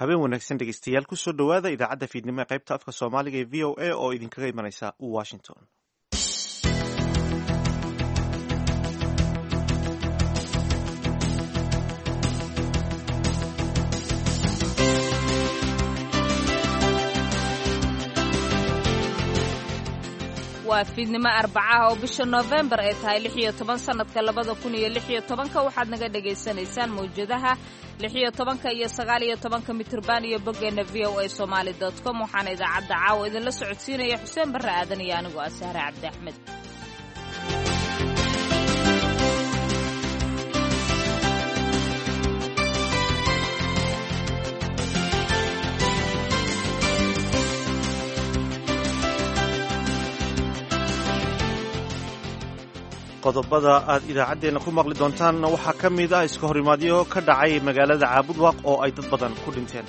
Habeen wanaagsan dhegeystayaal, kusoo dhowaada idaacadda fiidnimo ee qaybta afka Soomaaliga ee VOA oo idinkaga imanaysa Washington. Waa fiidnimo Arbacaha oo bisha Noofembar ay tahay 16 sanadka 2016-ka. Waxaad naga dhagaysanaysaan mawjadaha 16-ka iyo 19-ka mitirban iyo boggeenna voasomali.com. Waxaana idaacadda caawa idinla socodsiinaya Xuseen Barre Aadan iyo anigoo ah Sahre Cabdi Axmed. Qodobada aad idaacaddeenna ku maqli doontaanna waxaa ka mid ah iska horimaadyo ka dhacay magaalada Caabudwaaq oo ay dad badan ku dhinteen.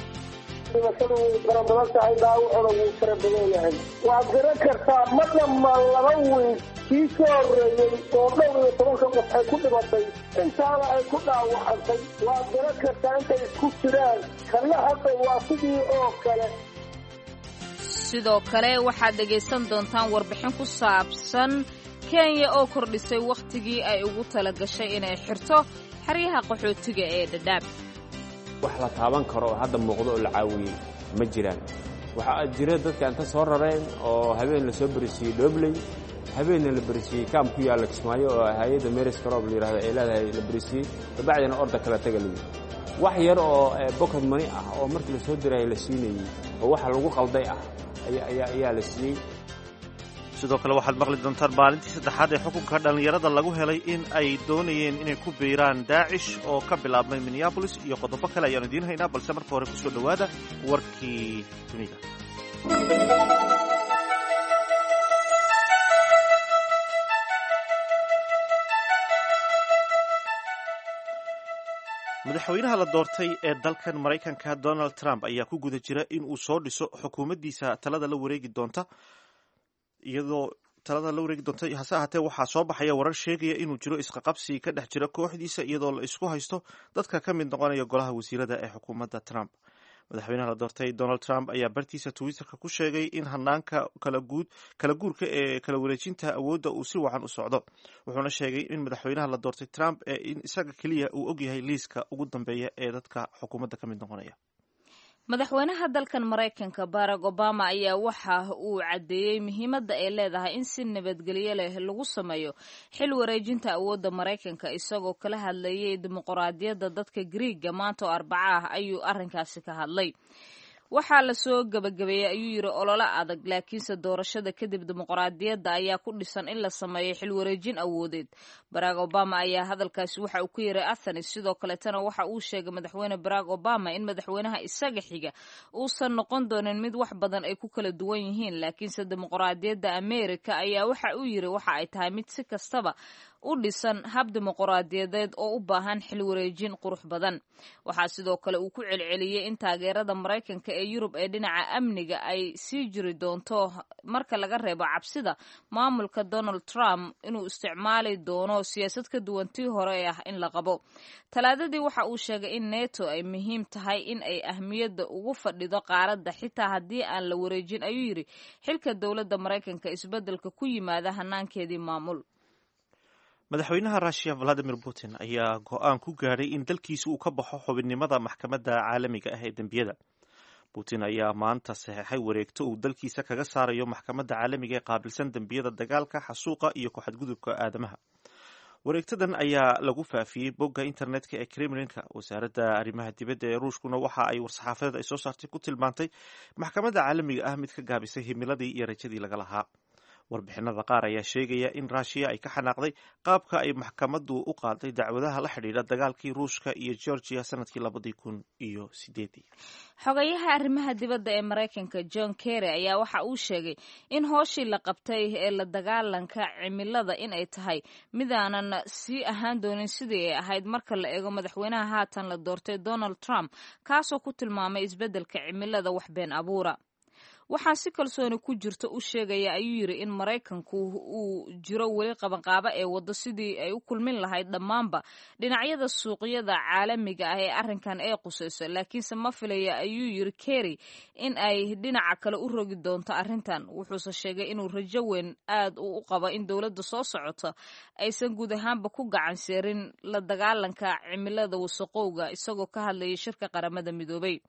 Dhimashadu way fara badan tahay, dhaawacuna wuu fara badan yahay. Waad garan kartaa, ma dhamma laba wiil kii soo horreeyey oo dhowr iyo tobanka qof ay ku dhimatay, intaana ay ku dhaawacantay. Waad garan kartaa intay isku jiraan. Kanna hadda waa sidii oo kale. Sidoo kale waxaad dhegaysan doontaan warbixin ku saabsan Kenya oo kordhisay wakhtigii ay ugu tala gashay inay xirto xeryaha qaxootiga ee Dhadhaab. Wax la taaban karo oo hadda muuqdo oo la caawiyey ma jiraan. Waxaa jira dadka inta soo rareen oo habeen la soo berisiiyey Dhobley, habeenna la berisiiyey kaam ku yaalla Kismaayo oo hay-adda Meris Crop la yidhahdo ay leedahay la berisiiyey, kabacdina orda kala taga la yidhi. Wax yar oo bokod mani ah oo markii la soo dirayay la siinayey oo waxa lagu qalday ah ayaa la siiyey. Sidoo kale waxaad maqli doontaan maalintii saddexaad ee xukunka dhallinyarada lagu helay in ay doonayeen inay ku biiraan Daacish oo ka bilaabmay Minneabolis, iyo qodobo kale ayaanu idiin haynaa, balse marka hore kusoo dhowaada warkii dunida. Madaxweynaha la doortay ee dalkan Maraykanka Donald Trump ayaa ku guda jira in uu soo dhiso xukuumaddiisa talada la wareegi doonta, iyadoo talada la wareegi doonta. Hase ahaatee, waxaa soo baxaya warar sheegaya inuu jiro isqaqabsi ka dhex jira kooxdiisa, iyadoo la isku haysto dadka ka mid noqonaya golaha wasiirada ee xukuumadda Trump. Madaxweynaha la doortay Donald Trump ayaa bartiisa Twitterka ku sheegay in hanaanka kala guurka ee kala wareejinta awoodda uu si wacan u socdo, wuxuuna sheegay in madaxweynaha la doortay Trump ee in isaga keliya uu ogyahay liiska ugu dambeeya ee dadka xukuumadda ka mid noqonaya. Madaxweynaha dalkan Maraykanka Barack Obama ayaa waxa uu caddeeyey muhiimadda ay leedahay in si nabadgelyo leh lagu sameeyo xil wareejinta awoodda Maraykanka. Isagoo kala hadlayay dimuqraadiyadda dadka Griiga maanta oo Arbaca ah ayuu arrinkaasi ka hadlay. Waxaa lasoo gebagabeeyey, ayuu yidhi, ololo adag, laakiinse doorashada kadib dimuqraadiyadda ayaa ku dhisan in la sameeyo xilwareejin awoodeed. Barack Obama ayaa hadalkaasi waxa uu ku yiray Athens. Sidoo kaletana waxa uu sheegay madaxweyne Barack Obama in madaxweynaha isaga xiga uusan noqon doonin mid wax badan ay ku kala duwan yihiin, laakiinse dimuqraadiyadda Amerika ayaa waxa uu yidhi waxa ay tahay mid si kastaba u dhisan hab dimuqraadiyadeed oo u baahan xilwareejin qurux badan. Waxaa sidoo kale uu ku celceliyey in taageerada Maraykanka ee Yurub ee dhinaca amniga ay sii jiri doonto marka laga reebo cabsida maamulka Donald Trump inuu isticmaali doono siyaasad ka duwan tii hore ee ah in la qabo. Talaadadii waxa uu sheegay in Neto ay muhiim tahay in ay ahmiyadda ugu fadhido qaaradda, xitaa haddii aan la wareejin, ayuu yidhi, xilka dowladda Maraykanka isbeddelka ku yimaada hanaankeedii maamul. Madaxweynaha Russiya Valadimir Putin ayaa go-aan ku gaadhay in dalkiisa uu ka baxo xubinnimada maxkamadda caalamiga ah ee dembiyada. Putin ayaa maanta saxeexay wareegto uu dalkiisa kaga saarayo maxkamadda caalamiga ee qaabilsan dembiyada dagaalka, xasuuqa iyo ku-xadgudubka aadamaha. Wareegtadan ayaa lagu faafiyey bogga internetka ee Kremlinka. Wasaaradda arrimaha dibadda ee Ruushkuna waxa ay war-saxaafadeed ay soo saartay ku tilmaantay maxkamadda caalamiga ah mid ka gaabisay himiladii iyo rajadii laga lahaa. Warbixinada qaar ayaa sheegaya in Ruushiya ay ka xanaaqday qaabka ay maxkamaddu u qaaday dacwadaha la xidhiidha dagaalkii Ruushka iyo Georgiya sanadkii 2008-dii. Xogayaha arrimaha dibadda ee Maraykanka John Kerry ayaa waxa uu sheegay in hooshii la qabtay ee la dagaalanka cimilada in ay tahay midaanan sii ahaan doonin sidii ay ahayd marka la eego madaxweynaha haatan la doortay Donald Trump, kaasoo ku tilmaamay isbeddelka cimilada wax been abuura. Waxaa si kalsooni ku jirta u sheegaya, ayuu yiri, in Maraykanku uu jiro weli qabanqaabo ee waddo sidii ay u kulmin lahayd dhammaanba dhinacyada suuqyada caalamiga ah ee arrinkan ay qusayso, laakiinse ma filaya, ayuu yiri Kerry, in ay dhinaca kale u rogi doonto arrintan. Wuxuuse sheegay inuu rajo weyn aad u qabo in dowladda soo socota aysan guud ahaanba ku gacan seerin la dagaalanka cimilada wasaqowga, isagoo ka hadlayay shirka Qaramada Midoobay.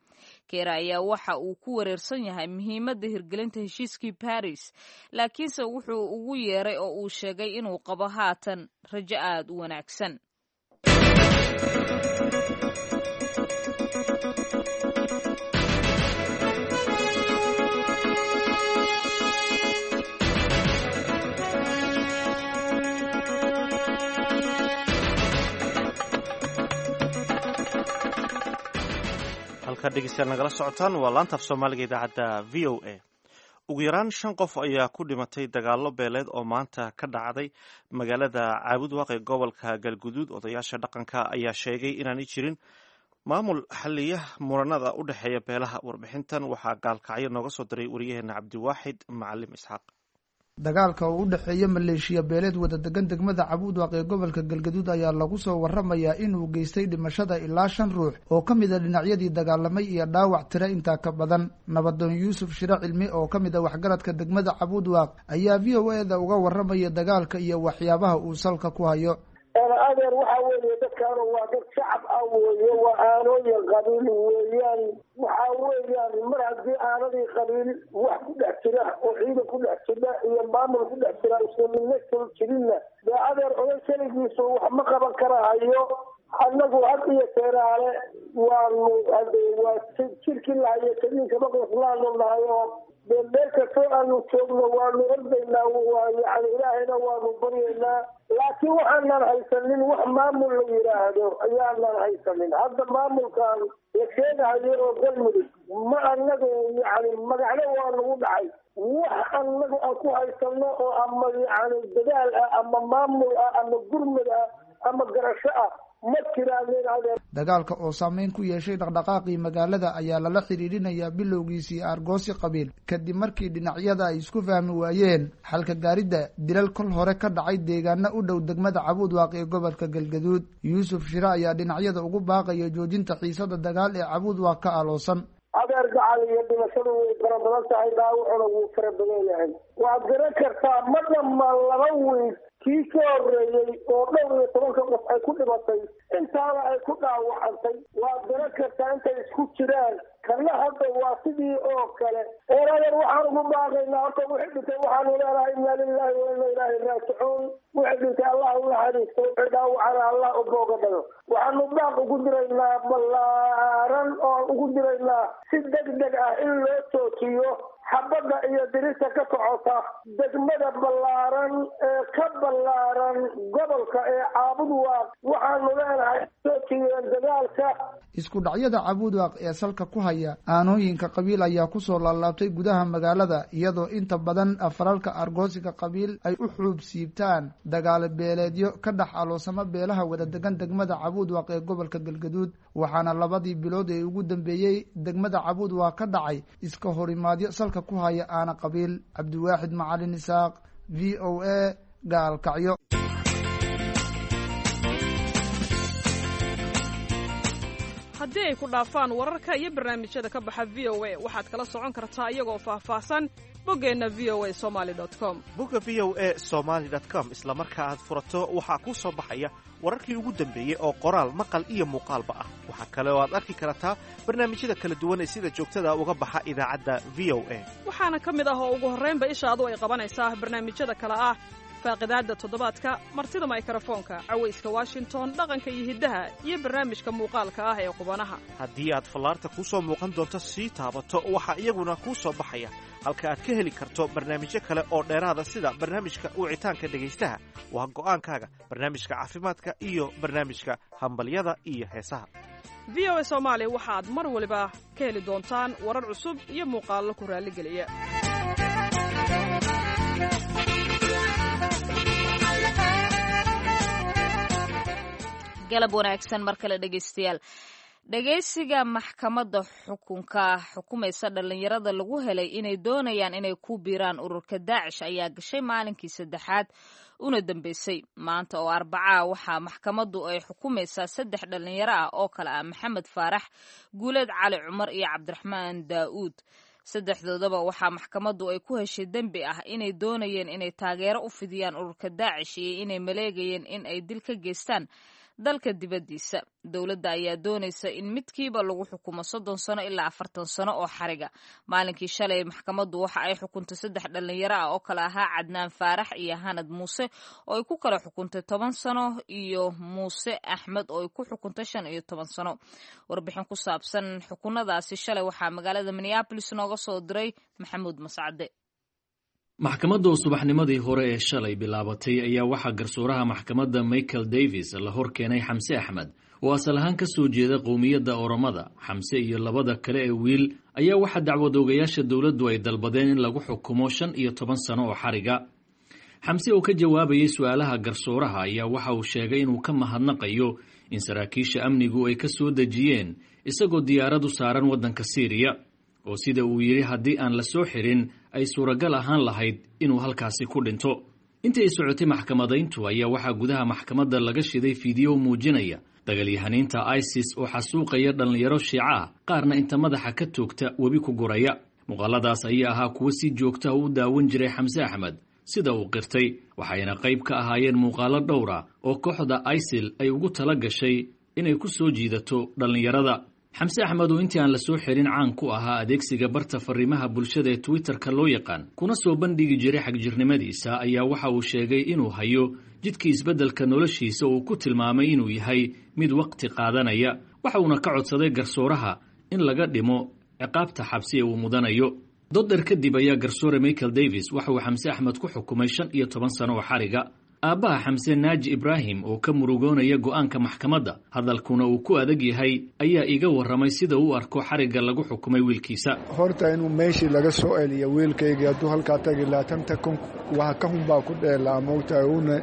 Kerry ayaa waxa uu ku wareersan yahay muhiimadda hirgelinta heshiiskii Paris, laakiinse wuxuu ugu yeeray oo uu sheegay inuu qabo haatan rajo aad u wanaagsan. Halkaad dhegeystayaal nagala socotaan waa laanta af Soomaaliga, idaacadda VOA. Ugu yaraan shan qof ayaa ku dhimatay dagaallo beeleed oo maanta ka dhacday magaalada Caabudwaaq ee gobolka Galguduud. Odayaasha dhaqanka ayaa sheegay inaanay jirin maamul xaliya muranada u dhexeeya beelaha. Warbixintan waxaa gaalkacyo nooga soo diray wariyaheena Cabdiwaaxid Macalim Isxaaq. Dagaalka oo u dhexeeya maleeshiya beeleed wada degan degmada Cabuudwaaq ee gobolka Galgaduud ayaa lagu soo waramayaa inuu geystay dhimashada ilaa shan ruux oo ka mid a dhinacyadii dagaalamay iyo dhaawac tiro intaa ka badan. Nabadoon Yuusuf Shire Cilmi oo ka mid a waxgaradka degmada Cabuudwaaq ayaa VOA da uga waramaya dagaalka iyo waxyaabaha uu salka ku hayo. Adeer, waxaa weeye dadkaanu waa dad shacab ah weeye, waa aanooyin qabiil weeyaan. Waxaa weeyaan mar haddii aanadii qabiil wax ku dhex jira oo ciidan ku dhex jira iyo maamul ku dhex jira isla midna soo jirinna, dee adeer, oday keligiisu wax ma qaban karahayo. Annagu had iyo teeraale waanu waa jirkii lahayo kadiinkama qoslaanu nahay oo dee meel kastoo aanu joogno waanu ordaynaa, waa yani Ilaahayna waanu baryaynaa, laakiin waxaanan haysanin wax maamul la yidhaahdo ayaanan haysanin. Hadda maamulkan la sheegahayo oo Galmudug ma anagu yani magacno waa nagu dhacay, wax anagu aan ku haysano oo ama yani dadaal ah ama maamul ah ama gurmud ah ama garasho ah ma jiraan. Dagaalka oo saameyn ku yeeshay dhaqdhaqaaqii magaalada ayaa lala xiriirinayaa bilowgiisii aargoosi qabiil, kadib markii dhinacyada ay isku fahmi waayeen xalka gaaridda dilal kol hore ka dhacay deegaano u dhow degmada Cabuudwaaq ee gobolka Galgaduud. Yuusuf Shire ayaa dhinacyada ugu baaqaya joojinta xiisada dagaal ee Cabuudwaaq ka aloosan. Adeer gacal, iyo dhimashadu way fara badan tahay, dhaawacuna wuu fara badan yahay. Waad garan kartaa ma dhamma 2 wiil kii ka horreeyey oo 14ka qof ay ku dhimatay, intaana ay ku dhaawacantay. Waad garan kartaa intay isku jiraan. Kana hadda waa sidii oo kale. Eeradeer, waxaan ugu baaqaynaa horta wixii dhintay waxaanu leenahay inna lillahi wa inna ilaahi raajicuun. Wixii dhintay Allah u naxariisto, wixii dhaawacana Allah u booga dhago. Waxaanu baaq ugu diraynaa ballaaran oo ugu diraynaa si deg deg ah in loo joojiyo xabadda iyo dirista ka socota degmada ballaaran ee ka ballaaran gobolka ee Caabudwaaq. Waxaanu leenahay joojiyeen dagaalka. Isku dhacyada Cabuudwaaq ee salka ku haya aanooyinka qabiil ayaa kusoo laalaabtay gudaha magaalada, iyadoo inta badan falalka argoosiga qabiil ay u xuub siibtaan dagaalo beeleedyo ka dhex aloosama beelaha wada degan degmada Cabuudwaaq ee gobolka Galgaduud. Waxaana labadii bilood ee ugu dambeeyey degmada Cabuudwaaq ka dhacay iska horimaadyo salka ku haya aana qabiil. Cabdiwaaxid Macalin Isaaq, VOA, Gaalkacyo. Haddii ay ku dhaafaan wararka iyo barnaamijyada ka baxa VOA, waxaad kala socon kartaa iyagoo faahfaahsan boggeenna voasomali com. Bogga voasomali com isla marka aad furato waxaa kuu soo baxaya wararkii ugu dambeeyey oo qoraal, maqal iyo muuqaalba ah. Waxaa kale oo aad arki kartaa barnaamijyada kala duwan ee sida joogtada uga baxa idaacadda VOA. Waxaana ka mid ah oo ugu horraynba ishaadu ay qabanaysaa barnaamijyada kale ah faaqidaadda toddobaadka, martida maykarafoonka, cawayska Washington, dhaqanka iyo hiddaha, iyo barnaamijka muuqaalka ah ee qubanaha. Haddii aad fallaarta kuu soo muuqan doonto sii taabato, waxaa iyaguna kuu soo baxaya halka aad ka heli karto barnaamijyo kale oo dheeraada, sida barnaamijka wicitaanka dhegaystaha, waa go'aankaaga, barnaamijka caafimaadka iyo barnaamijka hambalyada iyo heesaha. VOA Soomaali waxaad mar waliba ka heli doontaan warar cusub iyo muuqaallo ku raalligeliya. Galab wanaagsan mar kale dhegaystayaal. Dhagaysiga maxkamadda xukunka xukumaysa dhalinyarada lagu helay inay doonayaan inay ku biiraan ururka Daacish ayaa gashay maalinkii saddexaad una dambeysay. Maanta oo Arbacaa waxaa maxkamaddu ay xukumaysaa saddex dhalinyaro ah oo kale ah Maxamed Faarax Guuleed, Cali Cumar iyo Cabdiraxmaan Daa'uud. Saddexdoodaba waxaa maxkamaddu ay ku heshay dembi ah inay doonayeen inay taageero u fidiyaan ururka Daacish iyo inay maleegayeen in ay dil ka geystaan dalka dibaddiisa. Dowladda ayaa doonaysa in midkiiba lagu xukumo 30 sano ilaa 40 sano oo xariga. Maalinkii shalay maxkamaddu waxa ay xukuntay saddex dhalinyaro ah oo kale ahaa Cadnaan Faarax iyo Hanad Muuse oo ay ku kala xukuntay 10 sano iyo Muuse Axmed oo ay ku xukuntay 15 sano. Warbixin ku saabsan xukunadaasi shalay waxaa magaalada Minneapolis nooga soo diray Maxamuud Mascade. Maxkamadda oo subaxnimadii hore ee shalay bilaabatay ayaa waxaa garsooraha maxkamadda Michael Davis la hor keenay Xamse Axmed oo asal ahaan ka soo jeeda qowmiyadda Oromada. Xamse iyo labada kale ee wiil ayaa waxaa dacwadoogayaasha dowladdu ay dalbadeen in lagu xukumo 15 sano oo xariga. Xamse oo ka jawaabayay su-aalaha garsooraha ayaa waxa uu sheegay inuu ka mahadnaqayo in saraakiisha amnigu ay ka soo dejiyeen isagoo diyaarad u saaran waddanka Siiriya, oo sida uu yidhi haddii aan la soo xirin ay suuragal ahaan lahayd inuu halkaasi ku dhinto. Intii ay socotay maxkamadayntu ayaa waxaa gudaha maxkamadda laga shiday fiidiyo muujinaya dagalyahaniinta ISIS oo xasuuqaya dhallinyaro shiica ah, qaarna inta madaxa ka toogta webi ku guraya. Muuqaaladaas ayaa ahaa kuwo si joogta u daawan jiray Xamse Axmed, sida uu qirtay, waxayna qayb ka ahaayeen muuqaalo dhowr ah oo kooxda ISIL ay ugu tala gashay inay ku soo jiidato dhallinyarada. Xamse Axmed oo intii aan la soo xirin caan ku ahaa adeegsiga barta fariimaha bulshada ee Twitterka loo yaqaan, kuna soo bandhigi jiray xagjirnimadiisa, ayaa waxa uu sheegay inuu hayo jidkii isbeddelka noloshiisa uu ku tilmaamay inuu yahay mid waqti qaadanaya. Waxa uuna ka codsaday garsooraha in laga dhimo ciqaabta xabsi ee uu mudanayo. Doddar kadib ayaa garsoore Michael Davis waxa uu Xamse Axmed ku xukumay 15 sano oo xariga. Aabbaha Xamse, Naaji Ibraahim, oo ka murugoonaya go'aanka maxkamadda, hadalkuna uu ku adag yahay, ayaa iga warramay sida uu arko xarigga lagu xukumay wiilkiisa. Horta inuu meeshii laga soo celiyo wiilkaygii, hadduu halkaa tagi lahaa tanta kun wax ka hun baa ku dheelaa, moogtahay, uuna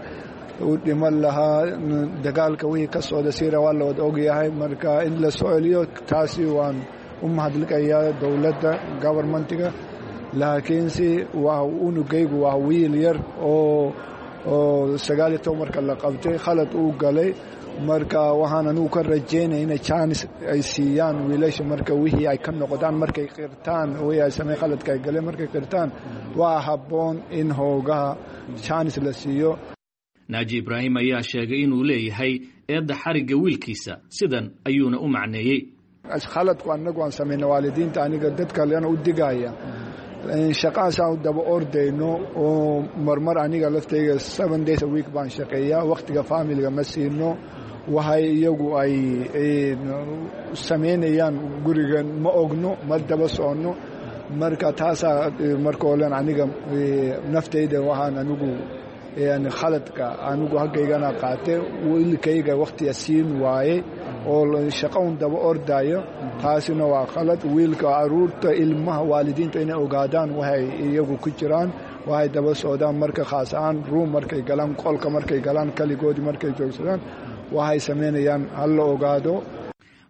u dhiman lahaa. Dagaalka wixii ka socda Siira waa la wada ogyahay. Marka in la soo celiyo taasi waan u mahadliqayaa dowladda, governmentiga, laakiinse waa unugaygu waa wiil yar oo 19 marka la qabtay khalad uu galay. Marka waxaan anigu ka rajaynaya inay jaanis ay siiyaan wiilasha marka wixii ay ka noqdaan, markay qirtaan wixii ay samey khaladka ay galeen, markay qirtaan waa habboon in hoogaha jaanis la siiyo. Naaji Ibraahim ayaa sheegay inuu leeyahay eedda xarigga wiilkiisa, sidan ayuuna u macneeyey. Khaladku anagu aan samayna waalidiinta, aniga dad kalena u digaya, shaqahaasaan u daba ordayno oo marmar aniga laftayga 7 days a week baan shaqeeyaa, wakhtiga familiga ma siino, waxay iyagu ay samaynayaan gurigan ma ogno, ma daba soconno. Marka taasaa marka olen aniga naftayda waxaan anigu khaladka anigu haggaygana qaatay, wiilkayga wakhtiga siin waaye oo shaqo un daba ordayo, taasina waa khalad. Wiilka, caruurta, ilmaha, waalidiinta inay ogaadaan waxay iyagu ku jiraan, waxay daba socdaan, marka khaas ahaan room markay galaan, qolka markay galaan, kaligoodii markay joogsadaan, waxay samaynayaan hala ogaado.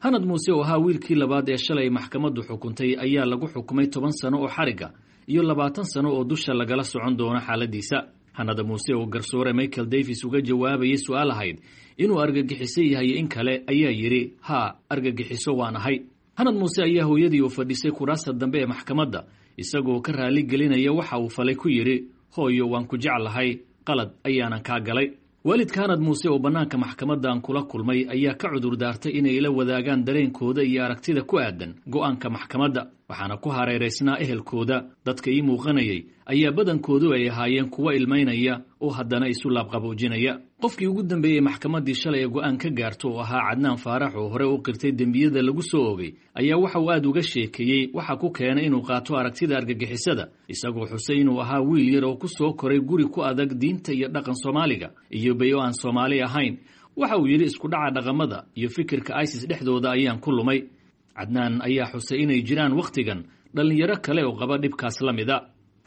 Hanad Muuse oo ahaa wiilkii labaad ee shalay maxkamaddu xukuntay ayaa lagu xukumay 10 sano oo xarigga iyo 20 sano oo dusha lagala socon doono xaaladiisa. Hanada Muuse oo garsoore Michael Davis uga jawaabayay su-aal ahayd inuu argagixiso yahay in kale ayaa yidhi: "Haa, argagixiso waan ahay." Hanad Muuse ayaa hooyadii oo fadhisay kuraasta dambe ee maxkamadda isagoo ka raali gelinaya waxa uu falay ku yidhi: "Hooyo, waan ku jeclahay, qalad ayaanan kaa galay." Waalidka Hanad Muuse oo bannaanka maxkamadda aan kula kulmay ayaa ka cudur daartay inay la wadaagaan dareenkooda iyo aragtida ku aadan go'aanka maxkamadda, waxaana ku hareeraysnaa ehelkooda. Dadka ii muuqanayay ayaa badankoodu ay ahaayeen kuwo ilmaynaya oo haddana isu laabqaboojinaya. Qofkii ugu dambeeyey maxkamaddii shalay ee go'aan ka gaarto oo ahaa Cadnaan Faarax oo hore u qirtay dembiyada lagu soo ogay ayaa waxa uu aad uga sheekeeyey waxa ku keenay inuu qaato aragtida argagixisada, isagoo xusay inuu ahaa wiil yar oo ku soo koray guri ku adag diinta iyo dhaqan Soomaaliga iyo bayo aan Soomaali ahayn. Waxa uu yidhi: "Isku dhaca dhaqamada iyo fikirka ISIS dhexdooda ayaan ku lumay." Cadnaan ayaa xusay inay jiraan wakhtigan dhallinyaro kale oo qaba dhibkaas la mida.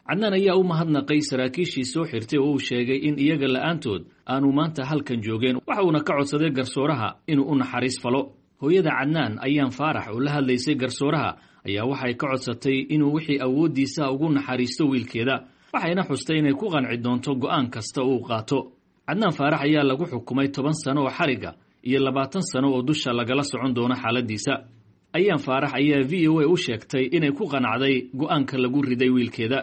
Cadnaan ayaa u mahadnaqay saraakiishii soo xirtay oo uu sheegay in iyaga la'aantood aanu maanta halkan joogeen, waxa uuna ka codsaday garsooraha inuu u naxariis falo. Hooyada Cadnaan, Ayaan Faarax, oo la hadlaysay garsooraha, ayaa waxay ka codsatay inuu wixii awooddiisa ugu naxariisto wiilkeeda, waxayna xustay inay ku qanci doonto go'aan kasta uu qaato. Cadnaan Faarax ayaa lagu xukumay 10 sano oo xariga iyo 20 sano oo dusha lagala socon doono xaaladiisa. Ayaan Faarax ayaa VOA u sheegtay inay ku qanacday go'aanka lagu riday wiilkeeda.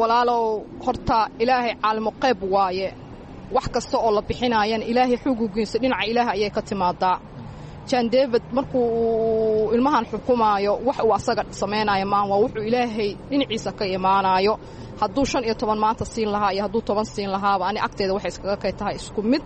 Walaalow, horta Ilaahay caalimo qayb waaye. Wax kasta oo la bixinaayana Ilaahay xugugiisa, dhinaca Ilaahay ayay ka timaadaa. John David markuu uu ilmahan xukumaayo, wax uu asaga samaynaayo maan, waa wuxuu Ilaahay dhinaciisa ka imaanaayo. Hadduu 15 maanta siin lahaa iyo hadduu 10 siin lahaaba, ani agteeda waxay iskaga kay tahay isku mid.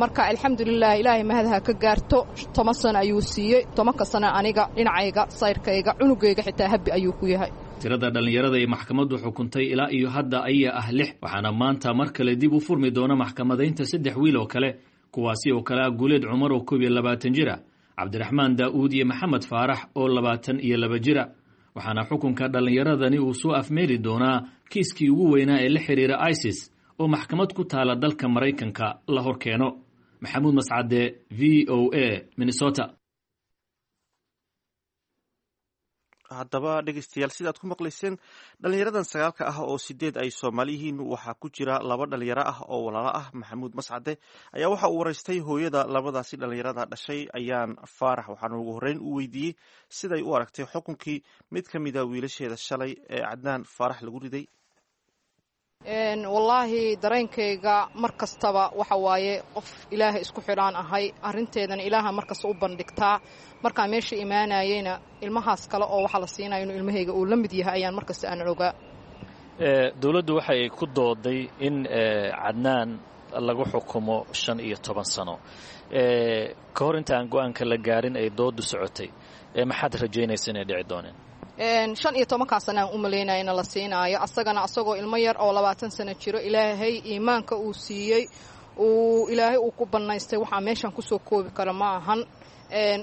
Marka alxamdulilah, Ilaahay mahadha ka gaarto. 10 sano ayuu siiyey. 10-ka sano aniga dhinacayga sayrkayga cunugayga xitaa happy ayuu ku yahay. Tirada dhallinyarada ee maxkamaddu xukuntay ilaa iyo hadda ayaa ah lix, waxaana maanta mar kale dib u furmi doona maxkamadaynta saddex wiil oo kale, kuwaasi oo kale ah Guuleed Cumar oo 21 jir ah, Cabdiraxmaan Daa'uud iyo Maxamed Faarax oo 22 jira. Waxaana xukunka dhallinyaradani uu soo afmeeri doonaa kiiskii ugu weynaa ee la xiriira ISIS oo maxkamad ku taala dalka Maraykanka la hor keeno. Maxamuud Mascade, VOA, Minnesota. Haddaba dhegeystayaal, sidaad ku maqlayseen, dhalinyaradan sagaalka ah oo sideed ay Soomaali yihiin, waxaa ku jira laba dhalinyaro ah oo walaalo ah. Maxamuud Mascade ayaa waxa uu waraystay hooyada labadaasi dhalinyarada dhashay, Ayaan Faarax, waxaana ugu horreyn u weydiiyey siday u aragtay xukunkii mid ka mida wiilasheeda shalay ee Cadnaan Faarax lagu riday. Wallaahi, dareenkayga mar kastaba waxa waaye qof Ilaahay isku xidhaan ahay. Arrinteedana Ilaaha markasta u bandhigtaa. Markaan meesha imaanayeyna, ilmahaas kale oo waxaa la siinaya inuu ilmahayga uu la mid yahay ayaan markasta aan ogaa. Dowladdu waxay ku dooday in Cadnaan lagu xukumo 15 sano. Ka hor inta aan go-aanka la gaarin ay doodu socotay, maxaad rajaynaysa inay dhici dooneen? 15-kaa sana aan u malaynaya in la siinaayo asagana, asagoo ilmo yar oo 20 sano jiro. Ilaahay iimaanka uu siiyey, uu Ilaahay uu ku bannaystay, waxaa meeshan kusoo koobi kara ma ahan.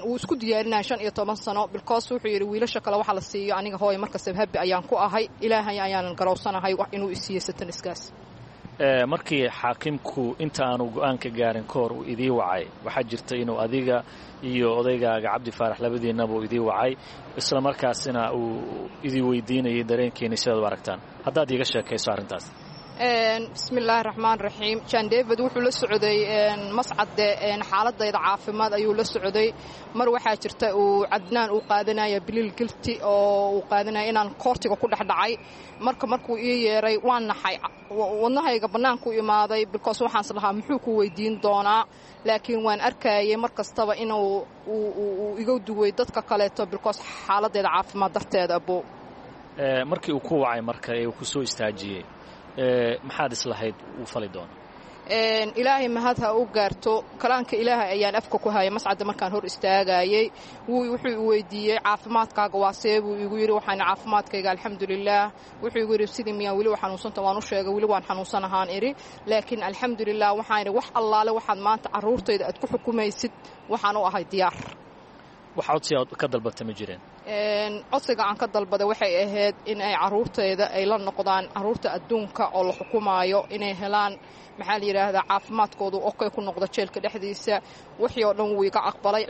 Uu isku diyaarinaya 15 sano, because wuxuu yidhi wiilasha kale waxa la siiyo, aniga hooya markastaba happy ayaan ku ahay. Ilaahay ayaanan garowsanahay inuu isiiyo sentence-kaas. Markii xaakimku inta aanu go-aanka gaarin ka hor uu idii wacay, waxaa jirta inuu adiga iyo odaygaaga Cabdi Faarax labadiinaba uu idii wacay, isla markaasina uu idii weydiinayay dareenkiina sidaad u aragtaan. Haddaad iiga sheekayso arrintaas. Bismi illaahi raxmaan raxiim. John David wuxuu la socday, Mascade, xaaladayda caafimaad ayuu la socday. Mar waxaa jirta uu Cadnaan uu qaadanaya plea guilty oo uu qaadanaya inaan court-iga ku dhex dhacay. Marka markuu ii yeeray waan naxay, wadnahayga bannaanku imaaday, because waxaans lahaa muxuu ku weydiin doonaa? Laakiin waan arkayay mar kastaba inuu uu iga duway dadka kaleeto, because xaaladayda caafimaad darteeda abo. Markii uu ku wacay, marka ee uu ku soo istaajiyey, maxaad islahayd uu fali doona? Ilaahay mahad ha u gaarto. Kalaanka Ilaahay ayaan afka ku hayay, Mascadda, markaan hor istaagayey. Wuxuu i weydiiyey, "Caafimaadkaaga waa see?" buu igu yidhi. Waxaan, "Caafimaadkayga alxamdulilaah." Wuxuu igu yidhi, "Sidii miyaan weli u xanuunsanta?" Waan u sheegay, "Weli waan xanuunsanahaan," idhi, "laakiin alxamdulilah." Waxaan idhi, "Wax allaale waxaad maanta carruurtayda aad ku xukumaysid, waxaan u ahay diyaar." Wax codsi aad ka dalbata ma jireen? Codsiga aan ka dalbaday waxay ahayd in ay carruurtayda ay la noqdaan carruurta adduunka oo la xukumaayo, inay helaan, maxaa la yidhaahdaa, caafimaadkoodu okay ku noqdo jeelka dhexdiisa. Wixii oo dhan wuu iga aqbalay.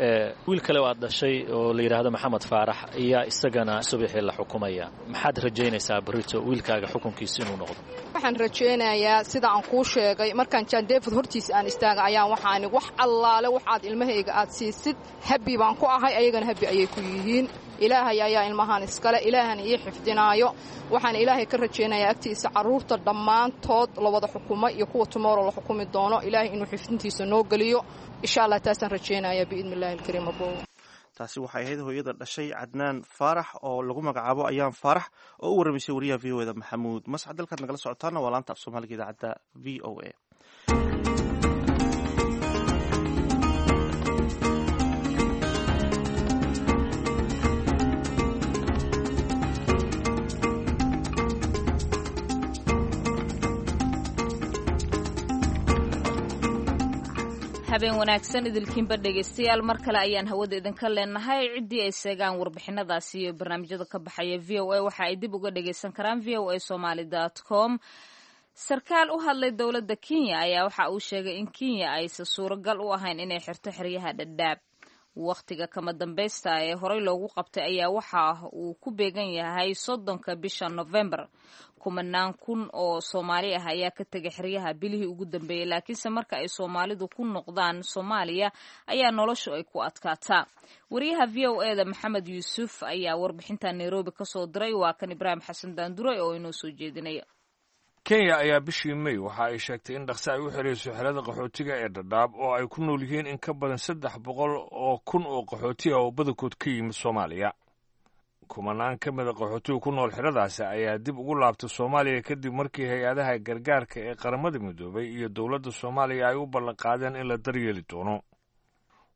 Wiil kale oo aad dhashay oo la yidhaahdo Maxamed Faarax ayaa isagana subaxii la xukumaya. Maxaad rajaynaysaa berrito wiilkaaga xukunkiisa inuu noqdo? Waxaan rajaynayaa, sida aan kuu sheegay, markaan John David hortiisa aan istaaga ayaan waxaan, wax allaale waxaad ilmahayga aad siisid, happy baan ku ahay, ayagana happy ayay ku yihiin. Ilaahay ayaa ilmahan iskale, Ilaahana ii xifdinaayo. Waxaan Ilaahay ka rajaynayaa agtiisa carruurta dhammaantood la wada xukumay iyo kuwa tomorrow la xukumi doono, Ilaahay inuu xifdintiisa noo geliyo, insha Allah. Taasaan rajaynaya biidni illahi alkariim abo. Taasi waxay ahayd hooyada dhashay Cadnaan Faarax oo lagu magacaabo Ayaan Faarax, oo u warramaysay wariyaha VOA da Maxamuud Mascad. Dalkaad nagala socotaana waa laanta af Soomaaliga idaacadda VOA. Habeen wanaagsan idilkiinba, dhegaystayaal, mar kale ayaan hawada idinka leenahay. Ciddii ay seegaan warbixinadaasi iyo barnaamijyada ka baxaya VOA, waxa ay dib uga dhagaysan karaan voasomali.com. Sarkaal u hadlay dowladda Kenya ayaa waxa uu sheegay in Kenya aysan suuragal u ahayn inay xirto xeryaha Dhadhaab. Wakhtiga kama dambaysta ee horey loogu qabtay ayaa waxa uu ku beegan yahay 30-ka bisha Novembar. Kumanaan kun oo Soomaali ah ayaa ka tegay xeryaha bilihii ugu dambeeyey, laakiinse marka ay Soomaalidu ku noqdaan Soomaaliya ayaa noloshu ay ku adkaataa. Wariyaha VOA-da Maxamed Yuusuf ayaa warbixinta Nairobi kasoo diray. Waa kan Ibraahim Xasan Daandure oo inoo soo jeedinaya. Kenya ayaa bishii May waxa ay sheegtay in dhaqse ay u xirayso xerada qaxootiga ee Dhadhaab oo ay ku nool yihiin in ka badan 300,000 oo qaxooti ah oo badankood ka yimid Soomaaliya. Kumanaan ka mida qaxootiga ku nool xeradaasi ayaa dib ugu laabtay Soomaaliya kadib markii hay-adaha gargaarka ee Qaramada Midoobay iyo dowladda Soomaaliya ay u ballanqaadeen in la daryeeli doono.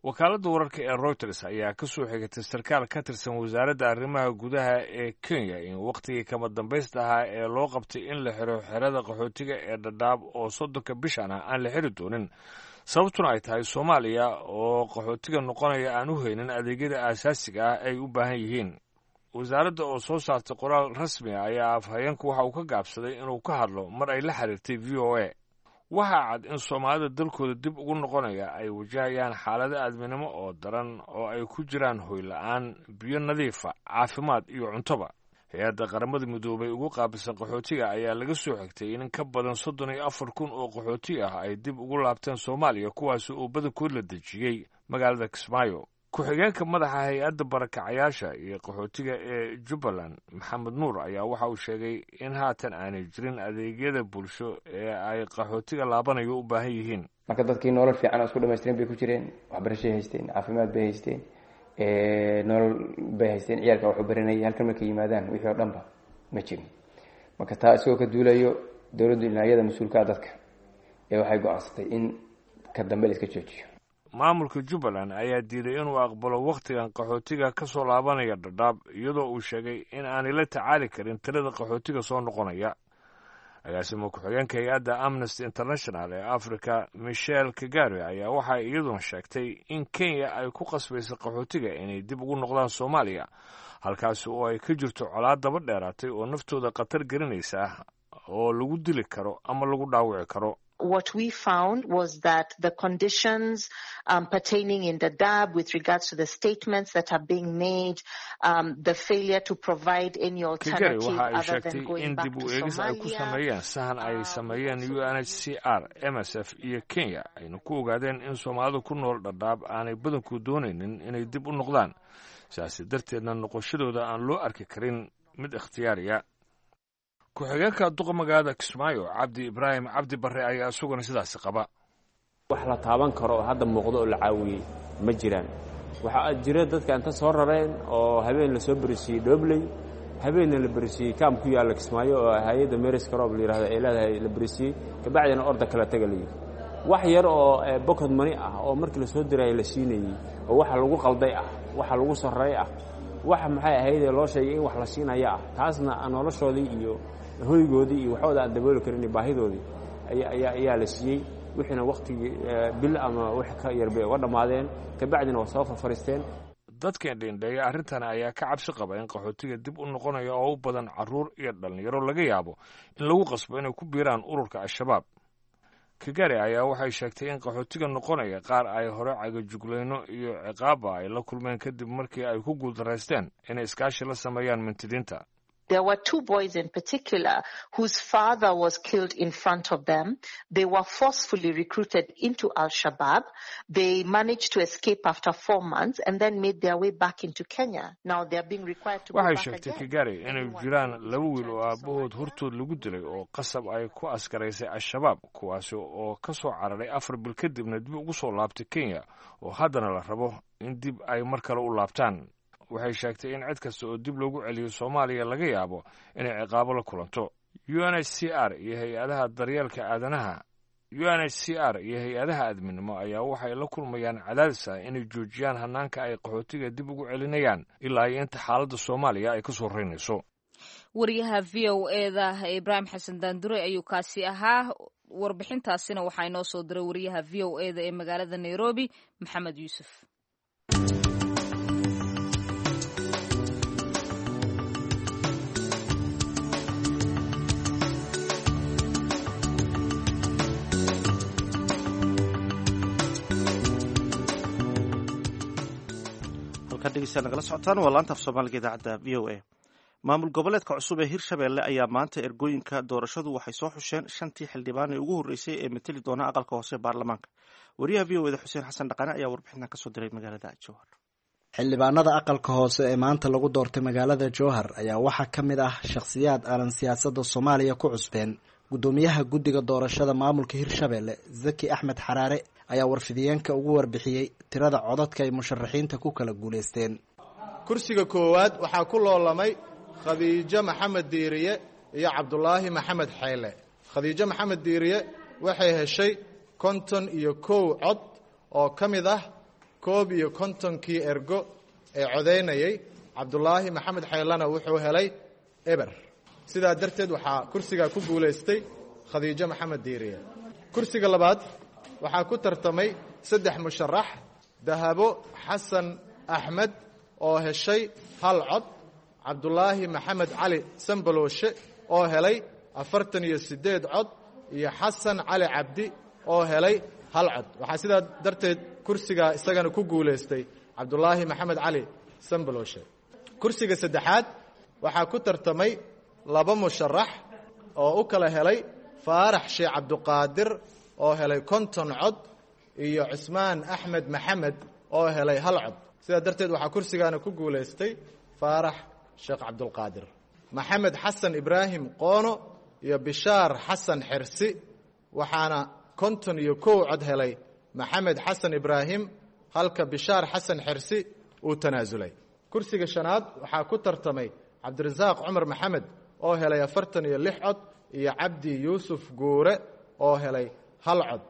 Wakaaladda wararka ee Reuters ayaa ka soo xigatay sarkaal ka tirsan wasaaradda arrimaha gudaha ee Kenya in wakhtigii kama dambaysta ahaa ee loo qabtay in la xiro xerada qaxootiga ee Dhadhaab oo 30-ka bishan ah aan la xiri doonin, sababtuna ay tahay Soomaaliya oo qaxootiga noqonaya aan u haynin adeegyada aasaasiga ah ay u baahan yihiin. Wasaaradda oo soo saartay qoraal rasmi ah ayaa afhayeenku waxa uu ka gaabsaday inuu ka hadlo mar ay la xiriirtay VOA. Waxaa cad in Soomaalida dalkooda dib ugu noqonaya ay wajahayaan xaalado aadminimo oo daran oo ay ku jiraan hoyla-aan, biyo nadiifa, caafimaad iyo cuntoba. Hay-adda Qaramada Midoobay ugu qaabilsan qaxootiga ayaa laga soo xigtay in ka badan 34,000 oo qaxooti ah ay dib ugu laabteen Soomaaliya, kuwaasi oo badankood la dejiyey magaalada Kismaayo. Ku-xigeenka madaxa hay-adda barakacayaasha iyo qaxootiga ee Jubbaland, Maxamed Nuur, ayaa waxa uu sheegay in haatan aanay jirin adeegyada bulsho ee ay qaxootiga laabanayo u baahan yihiin. Marka dadkii nolol fiican oo isku dhamaystiran bay ku jireen, waxbarashay haysteen, caafimaad bay haysteen, nolol bay haysteen, ciyaalka waxu baranayay. Halkan markay yimaadaan wixii oo dhanba ma jirin. Marka taa isagoo ka duulayo, dowladdu dhinacyada mas-uulkaa dadka ee waxay go-aansatay in ka dambe la iska joojiyo. Maamulka Jubbaland ayaa diiday inuu aqbalo wakhtigan qaxootiga ka soo laabanaya Dhadhaab, iyadoo uu sheegay in aanay la tacaali karin tirada qaxootiga soo noqonaya. Agaasimo ku-xigeenka hay-adda Amnesty International ee Africa, Michel Kagare, ayaa waxay iyaduna sheegtay in Kenya ay ku qasbaysa qaxootiga inay dib ugu noqdaan Soomaaliya, halkaasi oo ay ka jirto colaad daba dheeraatay oo naftooda khatar gelinaysa oo lagu dili karo ama lagu dhaawici karo. What we found was that the conditions pertaining in Dadaab with regards to the statements that are being made, the failure to provide any Kagari alternative waxa ay other than sheegtay going in back dib to u eegis ay ku Somalia. sameeyeen sahan ay sameeyeen UNHCR, MSF iyo Kenya ayna ku ogaadeen in Soomaalidu ku nool Dhadhaab aanay badanku doonaynin inay dib u noqdaan, sidaasi darteedna noqoshadooda aan loo arki karin mid ikhtiyaariya. Ku-xigeenka duqa magaalada Kismaayo, Cabdi Ibraahim Cabdi Barre, ayaa isaguna sidaasi qaba. Wax la taaban karo oo hadda muuqdo oo la caawiyey ma jiraan. Waxaa jira dadka inta soo rareen oo habeen la soo berisiiyey Dhobley, habeenna la berisiiyey kaam ku yaalla Kismaayo oo hay-adda Meris Crop la yidhahdo ay leedahay la berisiiyey, kabacdina orda kala taga la yidhi. Wax yar oo pocket money ah oo markii la soo dirayay la siinayey oo waxa lagu qalday ah, waxa lagu sarreey ah, waxa maxay ahaydee loo sheegay in wax la siinaya ah, taasna aan noloshoodii iyo hoygoodii iyo waxooda aan dabooli karin iyo baahidoodii ayaa la siiyey. Wixiina wakhtigii bil ama wax ka yar bay uga dhammaadeen, kabacdina waa soo farfariisteen. Dadka indhendheeya arrintan ayaa ka cabsi qaba in qaxootiga dib u noqonaya oo u badan carruur iyo dhallinyaro laga yaabo in lagu qasbo inay ku biiraan ururka Al-Shabaab. Kagari ayaa waxay sheegtay in qaxootiga noqonaya qaar ay hore cagajuglayno iyo ciqaabba ay la kulmeen kadib markii ay ku guuldaraysteen inay iskaashi la sameeyaan mintidiinta. There were two boys in particular whose father was killed in front of them. They were forcefully recruited into Al-Shabaab. They managed to escape after 4 months and then made their way back into Kenya. Now they are being required to go Waxay back sheegtay again. Kagari inay jiraan laba wiil oo aabbahood hortood lagu dilay oo qasab ay ku askaraysay Al-Shabaab, kuwaasi oo ka soo cararay 4 bil kadibna dib ugu soo laabtay Kenya oo haddana la rabo in dib ay mar kale u laabtaan. Waxay sheegtay in cid kasta oo dib loogu celiyo Soomaaliya laga yaabo inay ciqaabo la kulanto. UNHCR iyo hay-adaha daryeelka aadanaha, UNHCR iyo hay-adaha aadminimo ayaa waxay la kulmayaan cadaadis ah inay joojiyaan hanaanka ay qaxootiga dib ugu celinayaan ilaa iyo inta xaaladda Soomaaliya ay ka soo reynayso. Wariyaha VOA-da Ibraahim Xasan Daandure ayuu kaasi ahaa. Warbixintaasina waxaa inoo soo diray wariyaha VOA-da ee magaalada Nairobi, Maxamed Yuusuf. Halkaan dhegeystayaal nagala socotaan waa laanta af Soomaaliga idaacadda VOA. Maamul goboleedka cusub ee Hirshabeelle ayaa maanta ergooyinka doorashadu waxay soo xusheen shantii xildhibaan ee ugu horreysay ee mateli doona aqalka hoose ee baarlamaanka. Wariyaha VOA da Xuseen Xasan Dhaqane ayaa warbixintan kasoo diray magaalada Jowhar. Xildhibaanada aqalka hoose ee maanta lagu doortay magaalada Jowhar ayaa waxaa ka mid ah shakhsiyaad aanan siyaasadda Soomaaliya ku cusbeen. Guddoomiyaha guddiga doorashada maamulka Hirshabeelle, Zaki Axmed Xaraare, ayaa warfidiyeenka ugu warbixiyey tirada codadka ay musharaxiinta ku kala guulaysteen. Kursiga koowaad waxaa ku loolamay Khadiijo Maxamed Diiriye iyo Cabdulaahi Maxamed Xeyle. Khadiijo Maxamed Diiriye waxay heshay 51 cod oo ka mid ah 51-kii ergo ee codaynayay. Cabdulaahi Maxamed Xeylena wuxuu helay 0. Sidaa darteed waxaa kursigaa ku guulaystay Khadiijo Maxamed Diiriye. Kursiga labaad waxaa ku tartamay saddex musharax: Dahabo Xasan Axmed oo heshay 1 cod, Cabdulaahi Maxamed Cali Sambalooshe oo helay 48 cod, iyo Xasan Cali Cabdi oo helay 1 cod. Waxaa sidaa darteed kursigaa isagana ku guulaystay Cabdulaahi Maxamed Cali Sambalooshe. Kursiga saddexaad waxaa ku tartamay laba musharax oo u kala helay Faarax Sheekh Cabduqaadir oo helay 50 cod iyo Cusmaan Axmed Maxamed oo helay 1 cod. Sidaa darteed waxaa kursigaana ku guulaystay Faarax Sheekh Cabdulqaadir. Maxamed Xasan Ibraahim Qoono iyo Bishaar Xasan Xersi, waxaana 51 cod helay Maxamed Xasan Ibraahim, halka Bishaar Xasan Xersi uu tanaasulay. Kursiga shanaad waxaa ku tartamay Cabdirasaaq Cumar Maxamed oo helay 46 cod iyo Cabdi Yuusuf Guure oo helay 1 cod.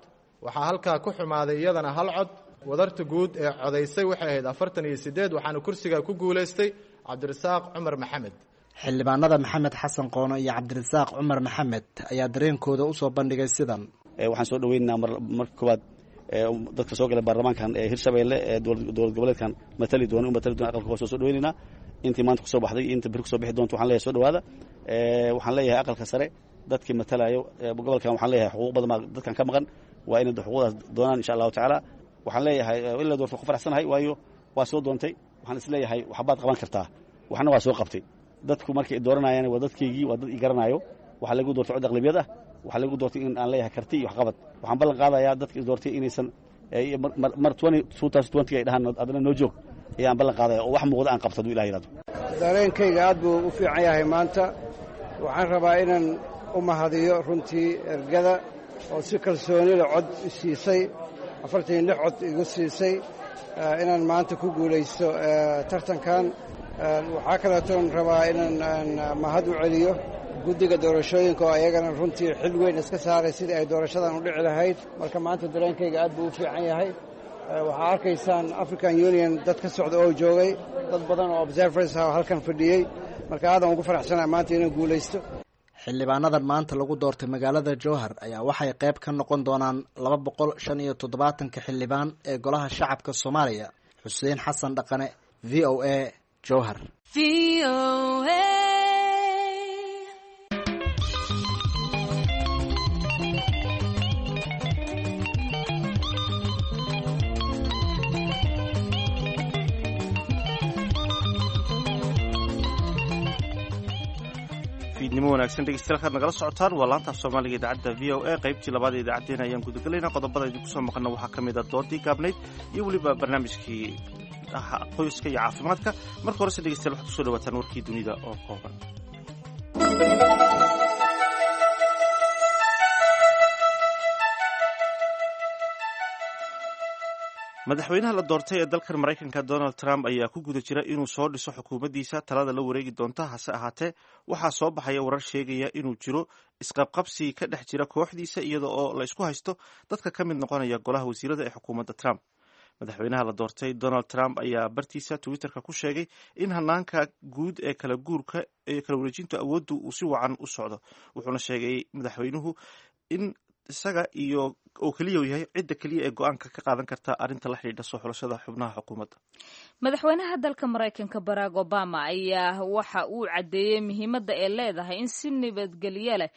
Waxaa halkaa ku xumaaday iyadana 1 cod. Wadarta guud ee codaysay waxay ahayd 48, waxaana kursigaa ku guulaystay Cabdirasaaq Cumar Maxamed. Xildhibaanada Maxamed Xasan Qoono iyo Cabdirasaaq Cumar Maxamed ayaa dareenkooda usoo bandhigay sidan. Waxaan soo dhaweynaynaa marka koowaad dadka soo galay baarlamaankan ee Hirshabeelle ee dowlad goboleedkan matali doona, u matali doona aqalka hoose soo dhaweynaynaa. Intii maanta kusoo baxday iyo inta beri kusoo bixi doonto waxaan leeyahay soo dhawaada. Waxaan leeyahay aqalka sare dadkii matalayo gobolkan, waxaan leeyahay xuquuq badan baa dadkan ka maqan, waa inay xuquuqdaas doonaan insha Allahu tacaala. Waxaan leeyahay in la doorto ku faraxsanahay, waayo waa soo doontay, waxaan isleeyahay waxbaad qaban kartaa, waxna waa soo qabtay. Dadku markay dooranayaan waa dadkaygii, waa dad i garanayo. Waxaa lagu doortay cod aqlabiyad ah, waxaa lagu doortay in aan leeyahay karti iyo waxqabad. Waxaan ballan qaadayaa dadka is doortay inaysan mar ay dhahaan adna noo joog ayaan ballan qaadaya oo wax muuqda aan qabto haduu Ilah yidhahdo. Dareenkayga aad buu u fiican yahay maanta. Waxaan rabaa inaan u mahadiyo runtii ergada oo si kalsoonida cod i siisay, 46 cod igu siisay inaan maanta ku guulaysto tartankan. Waxaa kaleetoon rabaa inaan mahad u celiyo guddiga doorashooyinka oo ayagana runtii xil weyn iska saaray sidii ay doorashadan u dhici lahayd. Marka maanta dareenkayga aad buu u fiican yahay. Waxaa arkaysaan African Union dad ka socda oo joogay, dad badan oo observers ah oo halkan fadhiyey. Marka aadan ugu faraxsanaa maanta inaan guulaysto. Xildhibaanadan maanta lagu doortay magaalada Jowhar ayaa waxay qayb ka noqon doonaan 275-ka xildhibaan ee golaha shacabka Soomaaliya. Xuseen Xasan Dhaqane, VOA, Jowhar. Fiidnimo wanaagsan dhegeystayaal, kaad nagala socotaan waa laanta af Soomaaliga idaacadda VOA. Qaybtii labaad ee idaacaddeenna ayaan gudagelaynaa. Qodobada idinku soo maqana waxaa ka mid a doodii gaabnayd iyo weliba barnaamijkii qoyska iyo caafimaadka. Marka horese dhegeystayaal waxaad kusoo dhawaataan warkii dunida oo kooban. Madaxweynaha la doortay ee dalkan Maraykanka Donald Trump ayaa ku guda jira inuu soo dhiso xukuumaddiisa talada la wareegi doonta. Hase ahaatee waxaa soo baxaya warar sheegaya inuu jiro isqabqabsi ka dhex jira kooxdiisa, iyada oo la isku haysto dadka ka mid noqonaya golaha wasiirada ee xukuumadda Trump. Madaxweynaha la doortay Donald Trump ayaa bartiisa Twitterka ku sheegay in hanaanka guud ee kala guurka ee kala wareejinta awooddu uu si wacan u socdo. Wuxuuna sheegay madaxweynuhu in isaga iyo oo keliya uu yahay cidda keliya ee go-aanka ka qaadan karta arrinta la xidhiidha soo xulashada xubnaha xukuumadda. Madaxweynaha dalka Maraykanka Barack Obama ayaa waxa uu caddeeyey muhiimadda ay leedahay in si nabadgelyo leh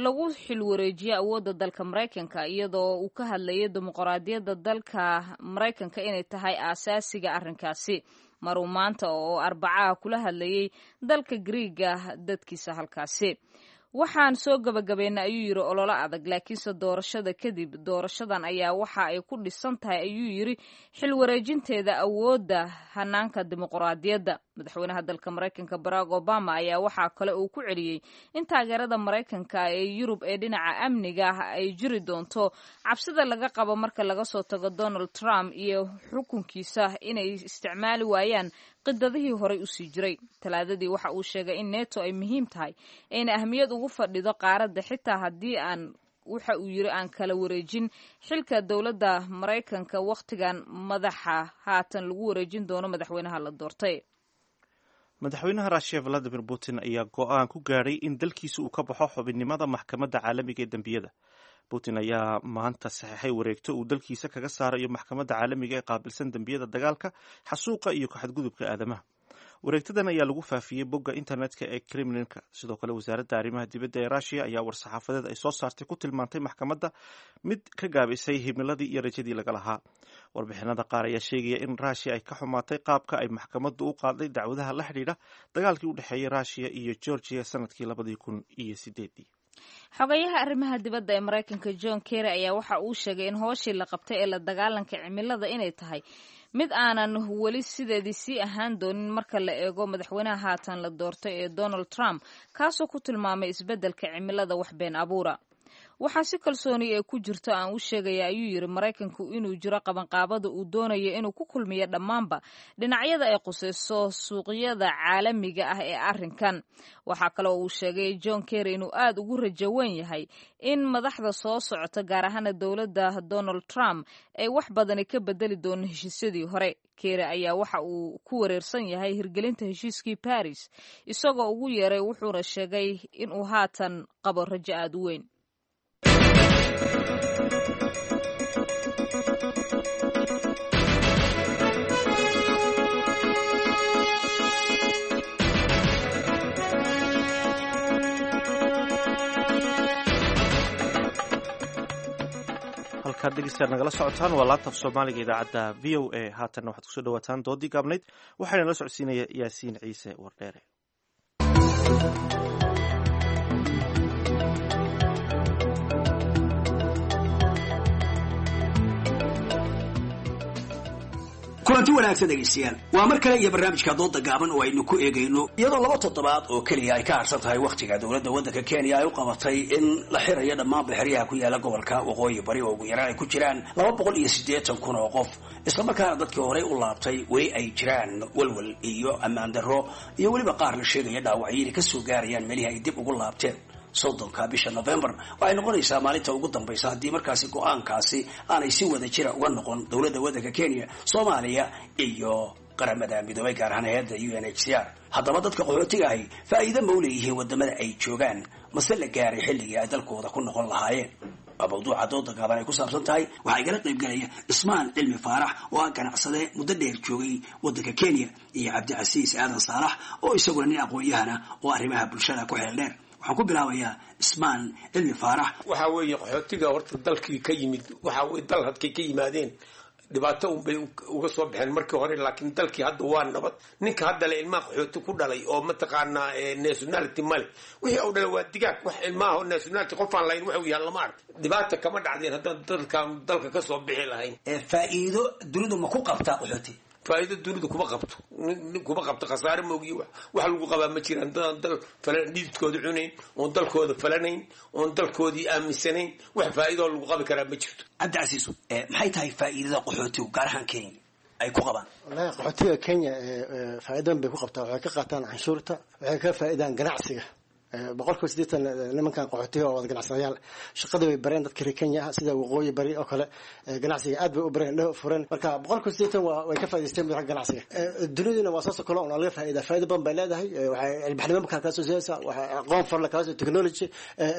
lagu xilwareejiyo awoodda dalka Maraykanka, iyadoo uu ka hadlayay dimuqraadiyadda dalka Maraykanka inay tahay aasaasiga arrinkaasi. Maruu maanta oo Arbacaha kula hadlayay dalka Griiga dadkiisa halkaasi. Waxaan soo gabagabeynay, ayuu yidhi, ololo adag, laakiinse doorashada kadib doorashadan ayaa waxa ay ku dhisan tahay, ayuu yidhi, xil wareejinteeda awoodda hanaanka dimuqraadiyadda. Madaxweynaha dalka Maraykanka Barack Obama ayaa waxaa kale uu ku celiyey in taageerada Maraykanka ee Yurub ee dhinaca amniga ah ay jiri doonto. Cabsida laga qabo marka laga soo tago Donald Trump iyo xukunkiisa inay isticmaali waayaan qidadihii horey usii jiray. Talaadadii waxa uu sheegay in Neto ay muhiim tahay ayna ahmiyad ugu fadhido qaaradda, xitaa haddii aan, waxa uu yiri, aan kala wareejin xilka dowladda Maraykanka wakhtigan madaxa haatan lagu wareejin doono madaxweynaha la doortay. Madaxweynaha Ruushiya Valadimir Putin ayaa go-aan ku gaadhay in dalkiisa uu ka baxo xubinnimada Maxkamadda Caalamiga ee Dembiyada. Putin ayaa maanta saxeexay wareegto uu dalkiisa kaga saarayo maxkamadda caalamiga ee qaabilsan dembiyada dagaalka, xasuuqa iyo kaxadgudubka aadamaha. Wareegtadan ayaa lagu faafiyey bogga internetka ee Kremlinka. Sidoo kale, wasaaradda arrimaha dibadda ee Ruushiya ayaa war-saxaafadeed ay soo saartay ku tilmaantay maxkamadda mid ka gaabisay himiladii iyo rajadii laga lahaa. Warbixinada qaar ayaa sheegaya in Ruushiya ay ka xumaatay qaabka ay maxkamaddu u qaaday dacwadaha la xidhiidha dagaalkii u dhexeeyey Ruushiya iyo Georgiya sanadkii 2008-dii. Xogayaha arrimaha dibadda ee Maraykanka John Kerry ayaa waxa uu sheegay in hooshii la qabtay ee la dagaalanka cimilada inay tahay mid aanan weli sideedii sii ahaan doonin marka la eego madaxweynaha haatan la doortay ee Donald Trump, kaasoo ku tilmaamay isbeddelka cimilada wax been abuura. Waxaa si kalsooni ee ku jirto aan u sheegaya, ayuu yidhi, Maraykanku inuu jiro qabanqaabada uu doonayo inuu ku kulmiyo dhammaanba dhinacyada ay qusayso suuqyada caalamiga ah ee arrinkan. Waxaa kale oo uu sheegay John Kerry inuu aad ugu rajo weyn yahay in madaxda soo socota, gaar ahaana dowladda Donald Trump, ay wax badani ka bedeli doono heshiisyadii hore. Kerry ayaa waxa uu ku wareersan yahay hirgelinta heshiiskii Paris, isagoo ugu yeeray, wuxuuna sheegay inuu haatan qabo rajo aad u weyn. Halkaad dhegeystayaal nagala socotaan waa laabta af Soomaaliga idaacadda VOA. Haatanna waxaad kusoo dhawaataan doodii gaabnayd. Waxaana la socodsiinaya Yaasiin Ciise Wardheere. Kulanti wanaagsan dhegaystayaal, waa mar kale iyo barnaamijka dooda gaaban oo aynu ku eegayno iyadoo 2 toddobaad oo keliya ay ka harsan tahay wakhtiga dowladda waddanka Kenya ay u qabatay in la xirayo dhammaan xeryaha ku yaala gobolka Waqooyi Bari oo ugu yaraan ay ku jiraan 280,000 oo qof, islamarkaana dadkii horey u laabtay weli ay jiraan walwal iyo ammaan darro iyo weliba qaar la sheegaya dhaawacyo inay kasoo gaarayaan meelihii ay dib ugu laabteen. 30-ka bisha November waxay noqonaysaa maalinta ugu dambaysa haddii markaasi go-aankaasi aanay si wada jira uga noqon dowladda waddanka Kenya, Soomaaliya iyo Qaramada Midoobay, gaar ahaan hay-adda UNHCR. Haddaba dadka qaxootiga ahi faa'iido ma u leeyihiin wadamada ay joogaan, mase la gaaray xilligii ay dalkooda ku noqon lahaayeen? Waa mawduuca dooda gaaban ay ku saabsan tahay. Waxaa igala qayb galaya Cismaan Cilmi Faarax oo ah ganacsade muddo dheer joogay waddanka Kenya iyo Cabdicasiis Aadan Saalax oo isaguna nin aqoon-yahana oo arrimaha bulshada ku xeel dheer. Waxaan ku bilaabayaa Cismaan Cilmi Faarax. Waxaa weeye, qaxootiga horta dalkii ka yimid, waxa weye dal hadkay ka yimaadeen dhibaato unbay uga soo baxeen markii hore, laakiin dalkii hadda waa nabad. Ninka hadda le ilmaha qaxooti ku dhalay oo mataqaanaa nationality male, wixii uu dhalay waa digaag. Wax ilmaha nationality qofaan lahayn wuxuu yahay lama ark. Dhibaata kama dhacdeen haddaan dalkan dalka ka soo bixi lahayn. Faa'iido dunidu ma ku qabtaa qaxooti? Faa'iido dunidu kuma qabto, kuma qabto. Khasaare moogiyo wax lagu qabaa ma jiraan. Dadaan dal falan dhididkooda cunayn oon dalkooda falanayn oon dalkoodii aaminsanayn, wax faa'iidoo lagu qabi karaa ma jirto. Cabdicasiis, maxay tahay faa'iidada qaxootigu gaar ahaan Kenya ay ku qabaan? Wallahi qaxootiga Kenya faa'iidan bay ku qabtaa. Waxay ka qaataan canshuurta, waxay ka faa'iidaan ganacsiga. 80% nimankan qaxootiga oo wada ganacsadayaal, shaqada bay bareen dadka reer Kenya ah, sida Waqooyi Bari oo kale ganacsiga aad bay u bareen, indhaha fureen. Marka 80% waa way ka faa'iidaysteen xagga ganacsiga. Duniduna waa saas oo kale oo laga faa'iidaa, faa'iido badan bay leedahay. Waxay ilbaxnimo markaa kala soo siinaysaa, waxay aqoon farla kala soo, technology,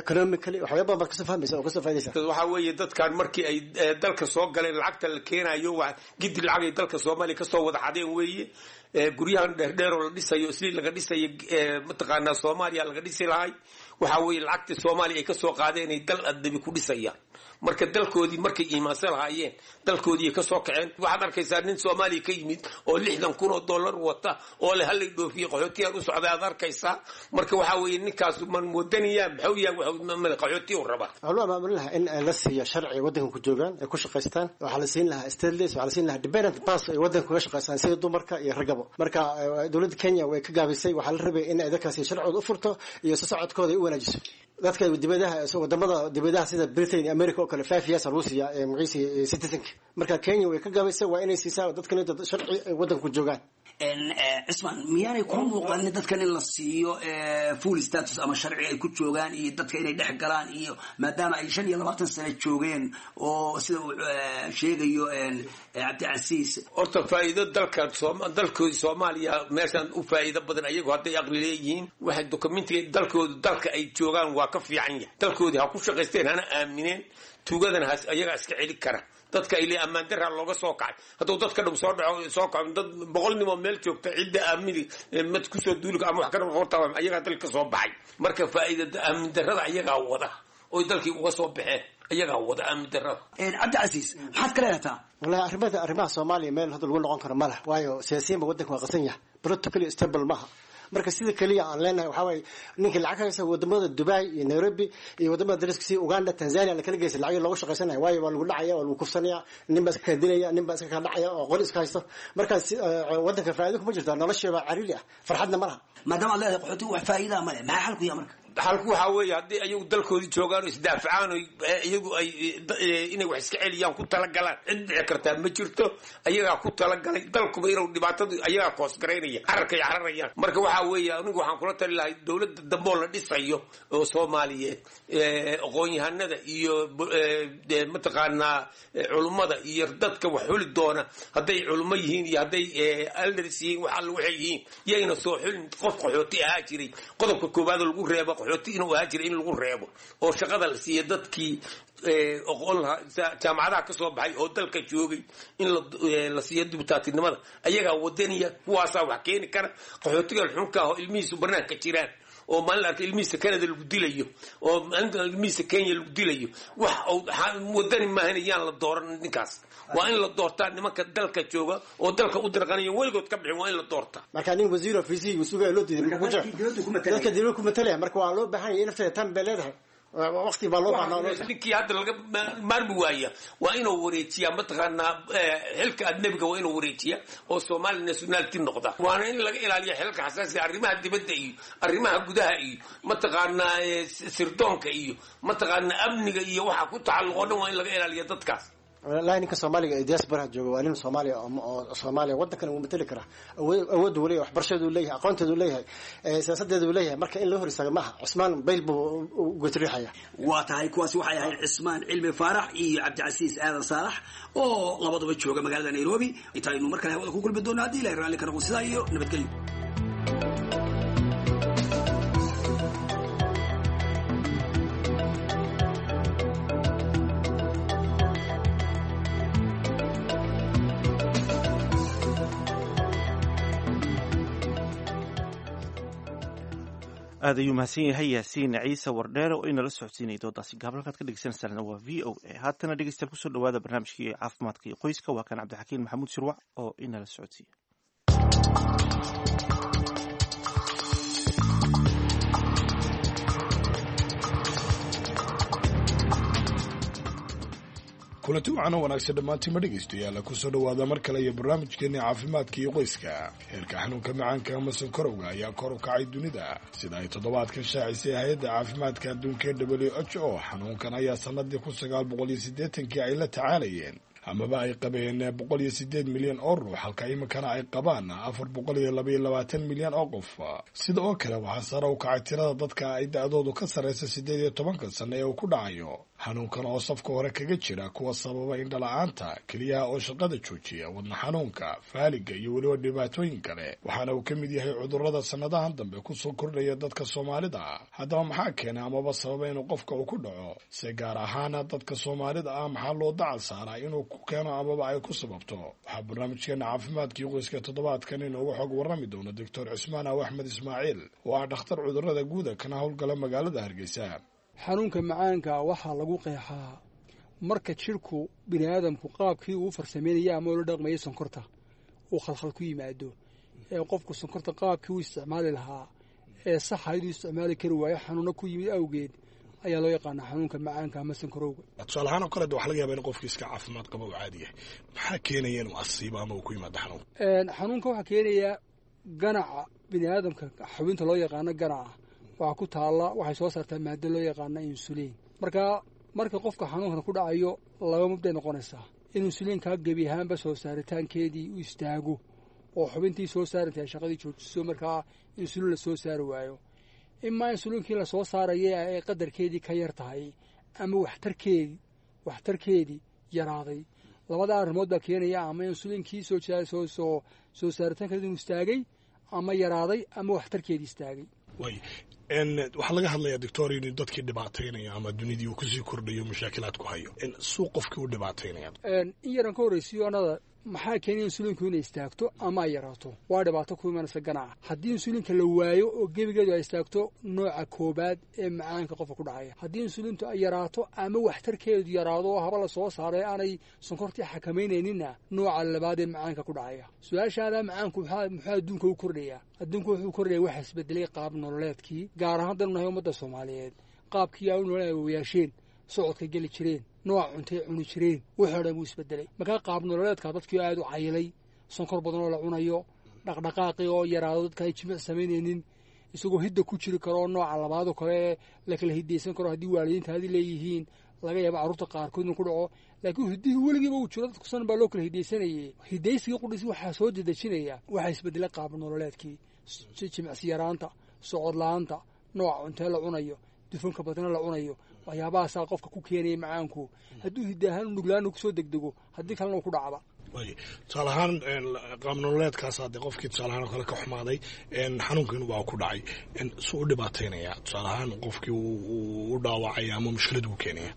economically waxyaabo badan baad kasoo fahmaysa oo kasoo faa'iidaysa. Waxaa weeye, dadkan markii ay dalka soo galeen lacagta la keenayo waa gidi lacag ay dalka Soomaaliya kasoo wada xadeen weeye. Guryahan dheerdheer oo la dhisayo islii laga dhisayo, mataqaanaa, Soomaaliya laga dhisi lahay. Waxaa weeye lacagta Soomaaliya ay kasoo qaadeen ay dal adabi ku dhisayaan. Marka dalkoodii markay iimaansan lahaayeen, dalkoodii ka soo kaceen. Waxaad arkaysaa nin Soomaaliya ka yimid oo $60,000 wata oo le hallay dhoofiye, qaxootiyaan u socday aad arkaysaa. Marka waxaa weeye, ninkaas man wadaniya maxuu yahay? Qaxootiya u rabaa. Waxaa loo maamulin lahaa in la siiyo sharci waddanka ku joogaan ay ku shaqaystaan. Waxaa la siin lahaa stateless, waxaa la siin lahaa dependent pass ay waddanka kaga shaqaystaan sida dumarka iyo raggaba. Marka dowladda Kenya way ka gaabisay. Waxaa la rabay in ay dadkaasi sharcigooda u furto iyo socodkooda ay u wanaajiso. Dadka dibadaha, wadamada dibadaha sida Britain iyo America oo kale, 5 years lagu siiyaa magaciisa citizenka. Marka Kenya way ka gaabisay, waa inay siisaa dadkan dad sharci ay waddanka ku joogaan. Cismaan, miyaanay ku muuqanin dadkan in la siiyo full status ama sharci ay ku joogaan iyo dadka inay dhex galaan, iyo maadaama ay 25 sano joogeen oo sida uu sheegayo Cabdicasiis? Horta faa'iido dalka, dalkooda Soomaaliya meeshan u faa'iido badan. Ayagu hadday aqli leeyihiin, waxay documentiga dalkooda, dalka ay joogaan waa ka fiican yahay. Dalkoodii ha ku shaqaysteen, hana aamineen, tuugadana has ayagaa iska celi kara. Dadka ay le ammaan daraa looga soo kacay, hadduu dadka dhum soo dhaco, soo kaco dad 100 nin oo meel joogta, cidda aamini mad kusoo duuli ama wax ka horta ayagaa dalka ka soo baxay. Marka faa'iida aamin darrada ayagaa wada oy dalkii uga soo baxeen, ayagaa wada aamin darrada. Cabdicasiis, maxaad ka leedataa? Wallahi arrimaha Soomaaliya meel hadda lagu noqon karo ma leh, waayo siyaasiyiinba waddanka waa qasan yahay, politically stable maaha. Marka sida keliya aan leenahay waxaa waaye, ninkii lacag haysa wadamada Dubai iyo Nairobi iyo wadamada dariska sida Uganda, Tanzania la kala geysa lacag looga shaqaysanaya, waayo waa lagu dhacaya, waa lagu kufsanaya, nin baa iska kala dilaya, nin baa iska kala dhacaya oo qori iska haysto. Marka waddanka faa'iido kuma jirto, nolosha baa cariiri ah, farxadna ma laha. Maadaama aad leedahay qaxootigu wax faa'iidaa ma leh, maxaa xalku yaha marka? Xalku waxaa weeye, haddii ayagu dalkoodii joogaan oo isdaafacaan oo iyagu ay inay wax iska celiyaan ku talagalaan, cid dhici kartaa ma jirto. Ayagaa ku talagalay dalkuba inuu dhibaatadu, ayagaa koosgaraynaya cararkay cararayaan. Marka waxaa weeye, anigu waxaan kula tali lahay dowladda dambe oo la dhisayo oo Soomaaliyeed, aqoon-yahanada iyo mataqaanaa culummada iyo dadka wax xuli doona, hadday culummo yihiin iyo hadday elders yihiin, wax alla waxay yihiin, yayna soo xulin qof qaxooti ahaa jiray. Qodobka koowaad oo lagu reebo qaxooti inuu ahaa jiray in lagu reebo, oo shaqada la siiya dadkii aqoon lahaa, jaamacadaha ka soo baxay oo dalka joogay, in la siiyo dibutaatinimada. Ayagaa wadaniya, kuwaasaa wax keeni kara. Qaxootiga xunka ah oo ilmihiisu banaanka jiraan, oo maalin arka ilmihiisa Canada lagu dilayo, oo maalinta ilmihiisa Kenya lagu dilayo, wax wadani maahan, yaan la dooran ninkaas. Waa in la doortaa nimanka dalka jooga oo dalka u dirqanaya, weligood ka bixin, waa in la doortaa. Marka nin wasiir ofisihi sugaya loo diiday, dadka dibadda ku matalaya. Marka waa loo baahan yahay in nafteeda tan bay leedahay, waqti baa loo baahnaa. Ninkii hadda laga maarmi waaya waa inuu wareejiyaa, mataqaanaa, xilka ajnabiga waa inuu wareejiyaa oo Somali nationality noqda. Waana in laga ilaaliya xilka xasaasiga, arrimaha dibadda iyo arrimaha gudaha iyo mataqaanaa sirdoonka iyo mataqaanaa amniga iyo waxa ku tacalluq oo dhan waa in laga ilaaliya dadkaas. Wallahi ninka Soomaaliga ee diasporaha jooga waa nin Soomaaliya oo Soomaaliya waddankan wuu matali karaa. Awood uu leeyahay, waxbarashadeedu leeyahay, aqoonteedu leeyahay, siyaasadeedu leeyahay. Marka in loo hor istaago maaha. Cusmaan Bayl buu gotriixaya. Waa tahay, kuwaasi waxay ahayd Cismaan Cilmi Faarax iyo Cabdicasiis Aadan Saalax oo labaduba jooga magaalada Nairobi. Intaaynu mar kale hawada ku kulmi doono haddii Ilahay raalli ka noqo, sidaa iyo nabadgelyo. Aad ayuu mahadsan yahay Yaasiin Ciise Wardheere oo inala socodsiinay doodaasi gaaban. Halkaad ka dhegeysanaysaana waa VOA. Haatana dhegeystayaal, kusoo dhawaada barnaamijkii caafimaadka iyo qoyska. Waa kan Cabdixakiin Maxamuud Shirwac oo inala socodsiiya. Kulanti wacan oo wanaagsan dhammaantiinma dhegaystayaal, kusoo dhowaada mar kale iyo barnaamijkeeni caafimaadka iyo qoyska. Heerka xanuunka macaanka ama sonkorowga ayaa kor u kacay dunida, sida ay toddobaadkan shaacisay hay-adda caafimaadka adduunka ee WHO. Xanuunkan ayaa sanadii 1980-kii ay la tacaalayeen amaba ay qabeen 108 milyan oo ruux, halka iminkana ay qabaan 422 milyan oo qof. Sida oo kale waxaa sare u kacay tirada dadka ay da-doodu ka sarreysa 18-ka sano ee uu ku dhacayo xanuunkan, oo safka hore kaga jira kuwa sababa indhala-aanta, keliyaha oo shaqada joojiya, wadna xanuunka, faaliga iyo weliba dhibaatooyin kale. Waxaana uu ka mid yahay cudurrada sannadahan dambe kusoo kordhaya dadka Soomaalida ah. Haddaba maxaa keena amaba sababa inuu qofka uu ku dhaco? Se gaar ahaana dadka Soomaalida ah maxaa loo dacal saaraa inuu ku keeno amaba ay ku sababto? Waxaa barnaamijkeena caafimaadkii qoyska toddobaadkan inooga xog warrami doono Doctor Cismaan Aw Axmed Ismaaciil oo ah dhakhtar cudurrada guuda kana howlgala magaalada Hargeysa. Xanuunka macaanka waxaa lagu qeexaa Marka jidhku bini aadamku qaabkii uu farsameynaya ama ula dhaqmayay sonkorta uu khalkhal ku yimaado, ee qofku sonkorta qaabkii uu isticmaali lahaa ee saxayd uu isticmaali kari waayo xanuuno ku yimid awgeed, ayaa loo yaqaanaa xanuunka macaanka ama sonkorowga. Tusaale ahaan oo kale, waxa laga yaba in qofki iska caafimaad qaba uu caadi yahay. Maxaa keenaya inuu asiibo ama uu ku yimaado xanuunka? Xanuunka waxaa keenaya ganaca bini aadamka, xubinta loo yaqaano ganaca waxaa ku taalla, waxay soo saartaa maado loo yaqaano insuliin. Marka marka qofka xanuunkan ku dhacayo, laba mubday noqonaysaa: in insuliinkaa gebi ahaanba soo saaritaankeedii u istaago oo xubintii soo saarintay ay shaqadii joojiso, markaa insuliin la soo saari waayo, imaa insuliinkii la soo saaraya ay qadarkeedii ka yar tahay ama waxtarkeedii yaraaday. Labada arrimood baa keenaya, ama insuliinkii soo saaritaankeedi inuu istaagay ama yaraaday ama waxtarkeedii istaagay. Way, waxaa laga hadlayaa, doctor, inuu dadkii dhibaataynayo ama dunidii uu kusii kordhayo mashaakilaad ku hayo. Suu qofkii u dhibaataynaya? In yaran ka horreysiyo anada, maxaa keenaya insuliinku inay istaagto ama ay yaraato? Waa dhibaato ku imanaysa ganaca. Haddii insuliinka la waayo oo gebigeedu ay istaagto, nooca koobaad ee macaanka qofka ku dhacaya. Haddii insuliintu ay yaraato ama waxtarkeedu yaraado oo haba la soo saaray aanay sonkortii xakamaynayninna, nooca labaad ee macaanka ku dhacaya. Su-aashaada, macaanku muxuu adduunka u kordhayaa? Adduunku wuxuu kordhaya waxa isbedelay qaab nololeedkii, gaar ahaan danu nahay ummadda Soomaaliyeed, qaabkii ay u nolol awoowayaasheen, socodkay geli jireen, nooca cuntay cuni jireen, wuxuu dhan buu isbedelay. Markaa qaab nololeedka dadkii aada u cayilay, sonkor badan oo la cunayo, dhaqdhaqaaqii oo yaraado, dadka ay jimic samaynaynin, isagoo hidda ku jiri karo oo nooca labaadoo kale la kala hidaysan karo. Haddii waalidiinta hadi leeyihiin, laga yaabo carruurta qaarkood inuu ku dhaco, laakiin hiddihii weligiiba uu jiro, dadku san baa loo kala hidaysanayay. Hidaysigii qudhiisi waxaa soo dedejinaya waxaa isbedelay qaab nololeedkii, jimicsi yaraanta, socod la-aanta, nooca cuntee la cunayo, dufanka badna la cunayo. Waxyaabahaasaa qofka ku keenaya macaanku, hadduu hidda ahaan nuglaanu kusoo degdego, haddii kalena uu ku dhacba. Tusaale ahaan, qaab nololeedkaas dee qofkii tusaale ahaan oo kale ka xumaaday, xanuunkiin waa ku dhacay, suu u dhibaataynaya? Tusaale ahaan, qofkii u dhaawacaya ama mushkilad uu keenaya?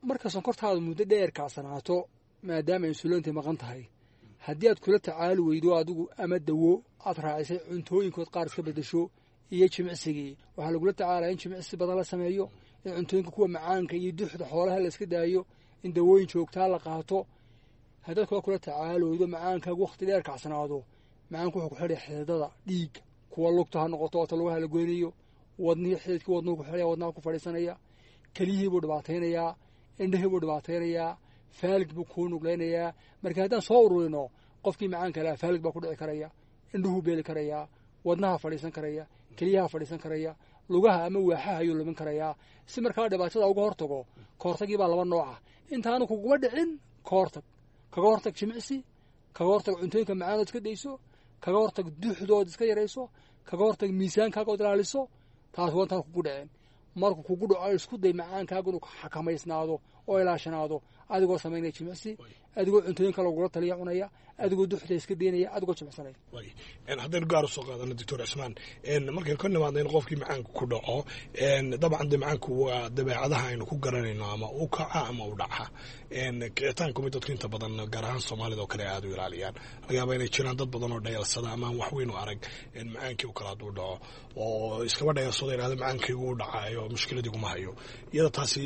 Marka sonkortaadu muddo dheer kacsanaato, maadaama insuliinta maqan tahay, haddii aad kula tacaali weydo adigu ama dawo aad raacisay, cuntooyinkood qaar iska bedesho iyo jimicsigii, waxaa lagula tacaalaya in jimicsi badan la sameeyo, in cuntooyinka kuwa macaanka iyo duxda xoolaha la iska daayo, in dawooyin joogtaa la qaato. Haddaad kula tacaali weydo, macaankaagu wakhti dheer kacsanaado, macaanku wuxuu ku xidhay xididada dhiigga, kuwa lugta ha noqoto oota lugaha la goynayo, wadnihii, xididkii wadnuhu ku xidhaya, wadnaha ku fadhiisanaya, keliyihii buu dhibaataynayaa, indhihii buu dhibaataynayaa, faalig buu kuu nuglaynayaa. Marka haddaan soo ururino, qofkii macaanka lahaa faalig baa ku dhici karaya, indhuhuu beeli karayaa, wadnaha fadhiisan karaya, keliyaha fadhiisan karaya, lugaha ama waaxaha ayuu lumin karayaa. Si markaa dhibaatada uga hortago, ka hortagii baa laba nooc ah: intaanu kuguma dhicin ka hortag, kaga hortag jimicsi, kaga hortag cuntooyinka macaanood iska dayso, kaga hortag duxdood iska yarayso, kaga hortag miisaankaaga ood ilaaliso. Taas waa intaan kugu dhicin. Markuu kugu dhaco, isku day macaankaaga inuu xakamaysnaado oo ilaashanaado, adigoo samaynaya jimicsi, adigoo cuntooyinka lagula taliya cunaya, adigoo duxda iska daynaya, adigoo jimicsanaya. Haddaynu gaar usoo qaadano, Doctor Cismaan, markaynu ka nimaadno in qofkii macaanku ku dhaco, dabcan de macaanku waa dabeecadaha aynu ku garanayno, ama u kaca ama u dhaca. Kicitaanku mid dadku inta badan, gaar ahaan Soomaalida oo kale, aada u ilaaliyaan. Laga yaaba inay jiraan dad badan oo dhayalsada ama aan wax weyn u arag macaankii u kale hadduu dhaco, oo iskaba dhayalsado, ihahda macaankaygu u dhacayo, mushkiladiguma hayo. Iyada taasi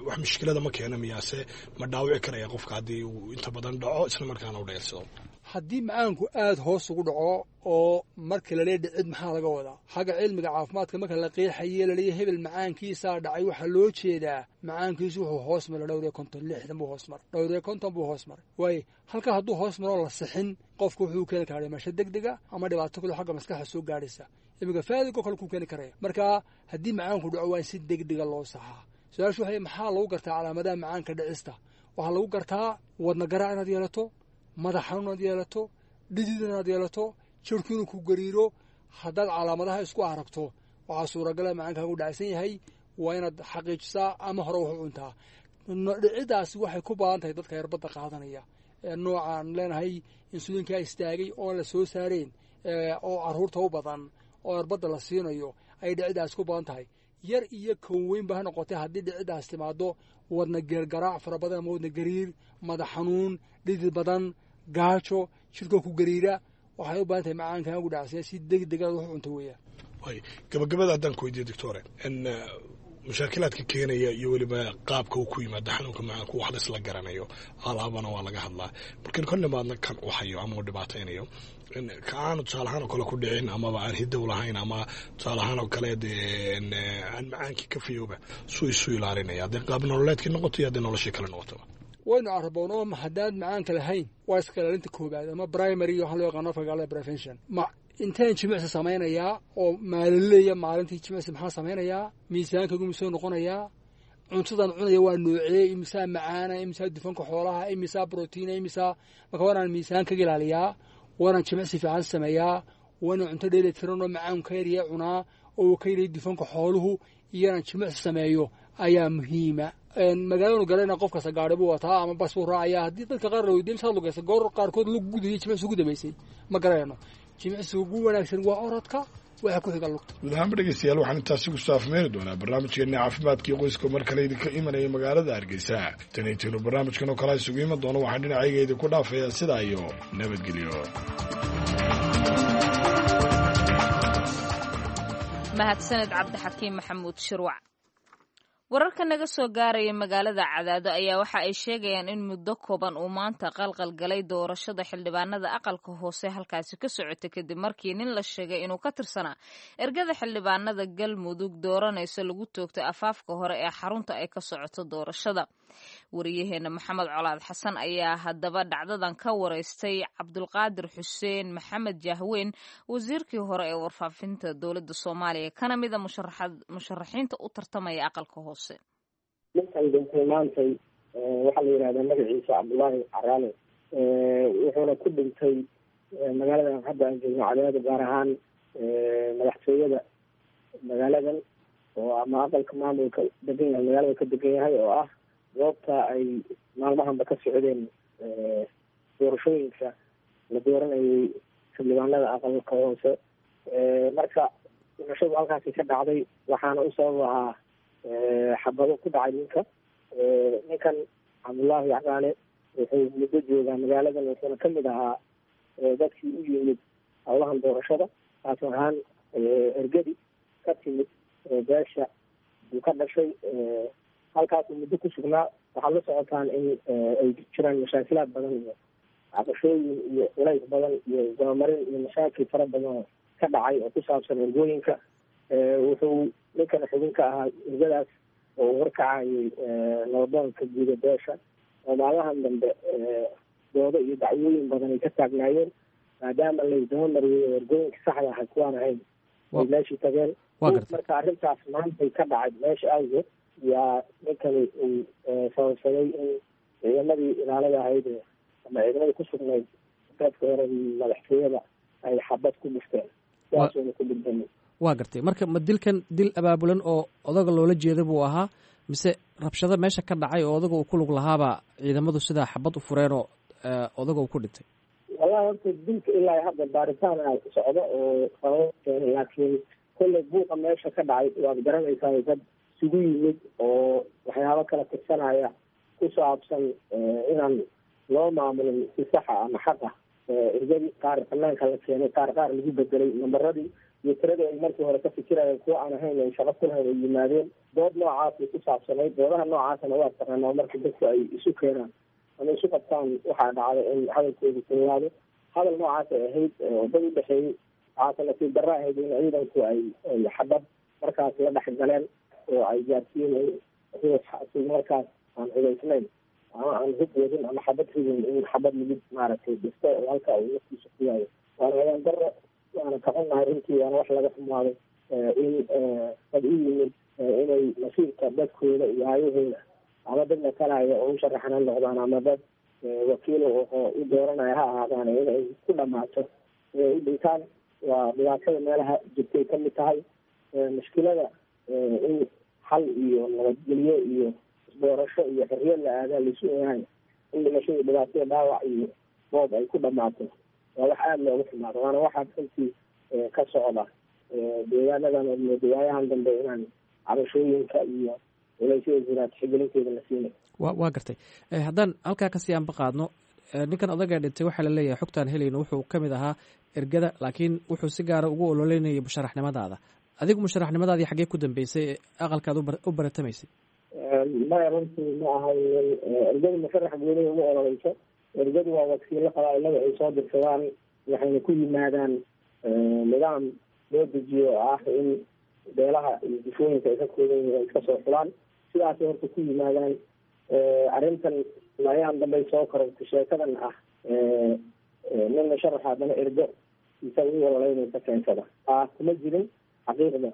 wax mushkilada ma keena miyaase? Ma dhaawici karaya qofka haddii uu inta badan dhaco isla markaana u dhayalsado? Haddii macaanku aada hoos ugu dhaco, oo marka laleeya dhicid maxaa laga wadaa? Xagga cilmiga caafimaadka marka la qeexaye laleeya hebel macaankiisaa dhacay, waxaa loo jeedaa macaankiisu wuxuu hoos maray 54, 60 buu hoos maray, 54 buu hoos maray. Waayo, halka hadduu hoos maroo la sixin, qofku wuxuu keeni karaa dhimasho deg dega ama dhibaato kale xagga maskaxda soo gaadhaysa, iminka faadigoo kale kuu keeni karaya. Marka haddii macaanku dhaco, waa in si deg dega loo saxaa. Su-aashu waxay, maxaa lagu gartaa calaamadaha macaanka dhicista? Waxaa lagu gartaa wadna garaac inaad yeelato, madax xanuun inaad yeelato, dhidid inaad yeelato, jirku inuu ku gariiro. Haddaad calaamadaha isku aragto, waxaa suuragala macaankaagu dhacsan yahay. Waa inaad xaqiijisaa ama hore wax u cuntaa. Dhicidaasi waxay ku badan tahay dadka yarbadda qaadanaya ee noocaan leenahay insuliinkaa istaagay oon la soo saareen, oo carruurta u badan oo yarbadda la siinayo ay dhicidaasi ku badan tahay. Yar iyo kan weynba ha noqotay, haddii dhicidaas timaado, wadna geergaraac fara badan ama wadna gariir, madax xanuun, dhidid badan, gaajo, jirkoo ku gariira, waxay u baahan tahay macaankaagu dhacsan si deg dega wax cunto weeyaan. Way, gabagabada haddaan ku weydiiyo, doctore, Mushaakilaadka keenaya iyo weliba qaabka uu ku yimaado xanuunka macaanku wax laisla garanayo, alaabana waa laga hadlaa. Markan ka nimaadna kan u hayo ama uu dhibaataynayo, ka aanu tusaale ahaan oo kale ku dhicin amaba aan hidow lahayn ama tusaale ahaan oo kale dee aan macaankii ka fayooba, suu isu ilaalinaya haddii qaab nololeedkii noqoto iyo haddii noloshii kale noqotoba? Waynu caraboonoo, haddaan macaanka lahayn waa iska ilaalinta koobaad ama primary waxaa loo yaqaano afka gaalada prevention. Ma inteen jimicsi samaynayaa oo maalinleeya? Maalintii jimicsi maxaa samaynayaa? Miisaankaygu misoo noqonayaa? Cuntadan cunaya waa noocee? Imisaa macaana, imisaa dufanka xoolaha, imisaa brotiina, imisaa? Marka waanaan miisaankaga ilaaliyaa, waanaan jimicsi fiican sameeyaa, waanaan cunto dheeli tiran oo macaan ka yarya cunaa oo uu ka yariyay dufanka xooluhu, iyo inaan jimicsi sameeyo ayaa muhiima. Magaalanu galayna qof kasta gaari buu wataa ama bas buu raacayaa. Haddii dadka qaar la weydiiyo misaad lugaysa, goor qaarkood lug gudayay jimicsi ugu dambeysay ma garanayno. Jimicsiga ugu wanaagsan waa orodka, waxa ku xiga lugta. Guud ahaanba dhegeystayaal, waxaan intaasi ku saafmeeri doonaa barnaamijkeena caafimaadkii qoyska, mar kale idinka imanaya magaalada Hargeysa. Tan intaynu barnaamijkan oo kale isugu iman doono, waxaan dhinacayga idinku dhaafayaa sidaa iyo nabadgelyo. Mahadsaned Cabdixakiim Maxamuud Shirwac. Wararka naga soo gaaraya magaalada Cadaado ayaa waxa ay sheegayaan in muddo kooban uu maanta qalqal galay doorashada xildhibaanada aqalka hoose halkaasi ka socota, kadib markii nin la sheegay inuu ka tirsanaa ergada xildhibaanada Galmudug dooranaysa lagu toogtay afaafka hore ee xarunta ay ka socoto doorashada. Wariyaheena Maxamed Colaad Xasan ayaa haddaba dhacdadan ka wareystay Cabdulqaadir Xuseen Maxamed Jahweyn, wasiirkii hore ee warfaafinta dowladda Soomaaliya, kana mida musharaxiinta u tartamaya aqalka hoose. Ninkan dhintay maantay waxaa la yidhahdaa magaciisa Cabdullaahi Caraale, wuxuuna ku dhintay magaaladan hadda aan joogno, Cadaado, gaar ahaan madaxtooyada magaaladan oo ama aqalka maamulka degan yahay magaalada ka degan yahay, oo ah goobta ay maalmahanba ka socdeen doorashooyinka la dooranayay xildhibaanada aqalka hoose. Marka dhimashadu halkaasi ka dhacday, waxaana u sabab ahaa xabado ku dhacay ninka. Ninkan Cabdullaahi Caraale wuxuu muddo joogaa magaaladan, wuxuuna kamid ahaa dadkii u yimid howlahan doorashada, taas ahaan ergadi ka timid beesha uu ka dhashay. Halkaasuu muddo ku sugnaa. Waxaad la socotaan in ay jiraan mashaakilaad badan iyo cabashooyin iyo culays badan iyo dabamarin iyo mashaakil fara badan oo ka dhacay oo ku saabsan ergooyinka. Wuxuu ninkan xubin ka ahaa ergadaas oo uu horkacayay nabadoonka guuda beesha, oo maalmahan dambe doodo iyo dacwooyin badan ay ka taagnaayeen, maadaama laysdabamariyey oo ergooyinka saxda aha kuwaan ahayn ay meeshii tageen. Marka arrintaas maantay ka dhacay meesha awgeed yaa ninkani uu sababsaday in ciidamadii ilaalada ahayd ama ciidamadii ku sugnayd qaybka hore madaxtooyada ay xabad ku dhufteen, sidaasuuna ku dhintay. Waa gartay. Marka ma dilkan dil abaabulan oo odaga loola jeeda buu ahaa, mise rabshado meesha ka dhacay oo odaga uu ku lug lahaabaa ciidamadu sidaa xabad u fureenoo odaga uu ku dhintay? Wallahi horta dilka ilaa hadda baaritaan socdo oo sababo keenay, laakiin kolley buuqa meesha ka dhacay waad garanaysaa, dad isugu yimid oo waxyaabo kala tirsanaya ku saabsan inaan loo maamulin si saxa ama xaq ah ergadii, qaar banaanka la keenay, qaar lagu bedelay nambaradii iyo tiradii ay markii hore ka fikirayeen kuwa aan ahayn ay shaqo ku lahayn ay yimaadeen. Dood noocaasay ku saabsanayd. Doodaha noocaasna waa taqaanaa, marka dadku ay isu keenaan ama isu qabtaan waxaa dhacday in hadalkoodu kululaado. Hadal noocaas ay ahayd oo dad u dhexeeyey. Waxaase nasiib darro ahayd in ciidanku ay xabad markaas la dhex galeen oo ay gaarsiin ruux asiga markaas aan hubaysnayn ama aan hub wadin ama xabad ridin in xabad lagu maaragtay dhisto oo halka uu naftiisa ku waayo. Waana ayaan darro, waana ka xunnahay runtii, waana wax laga xumaaday in dad u yimid inay masiirka dadkooda iyo aayahooda ama dad matalaya oo u sharaxan ha noqdaan ama dad wakiilo oo u dooranaya ha ahaadaan, inay ku dhamaato inay u dhintaan. Waa dhibaatada meelaha jirtay ka mid tahay mushkilada in xal iyo nabadgelyo iyo isdoorasho iyo xorriyad la aadaa laisu ogahay in dhimashadii dhibaatada dhaawac iyo boob ay ku dhamaato waa wax aada looga xumaado, waana waxaa runtii ka socda deegaanadan oo moodo waayahan dambe inaan cabashooyinka iyo culaysyada jiraa tixgelinteeda la siinay. Waa gartay. Haddaan halkaa kasii aanba qaadno, ninkan odaga dhintay waxaa la leeyahay xogtaan helayno wuxuu ka mid ahaa ergada, laakiin wuxuu si gaara ugu ololeynayay musharaxnimadaada. Adigu musharaxnimadaadii xaggee ku dambeysay ee aqalkaad u baratamaysay? Maya, runtii ma ahayn. Ergadu musharax goonihi uma ololeyso. Ergadu waa wakiilo qabaailada ay soo dirsadaan, waxayna ku yimaadaan nidaam loo dejiyo oo ah in beelaha iyo difooyinka ay ka kooban yihiin ay iska soo xulaan. Sidaasay horta ku yimaadaan. Arrintan ayaan dambay soo korortay, sheekadan ah nin musharaxa haddana ergo isaga u ololeynaysa keensada, taa kuma jirin xaqiiqda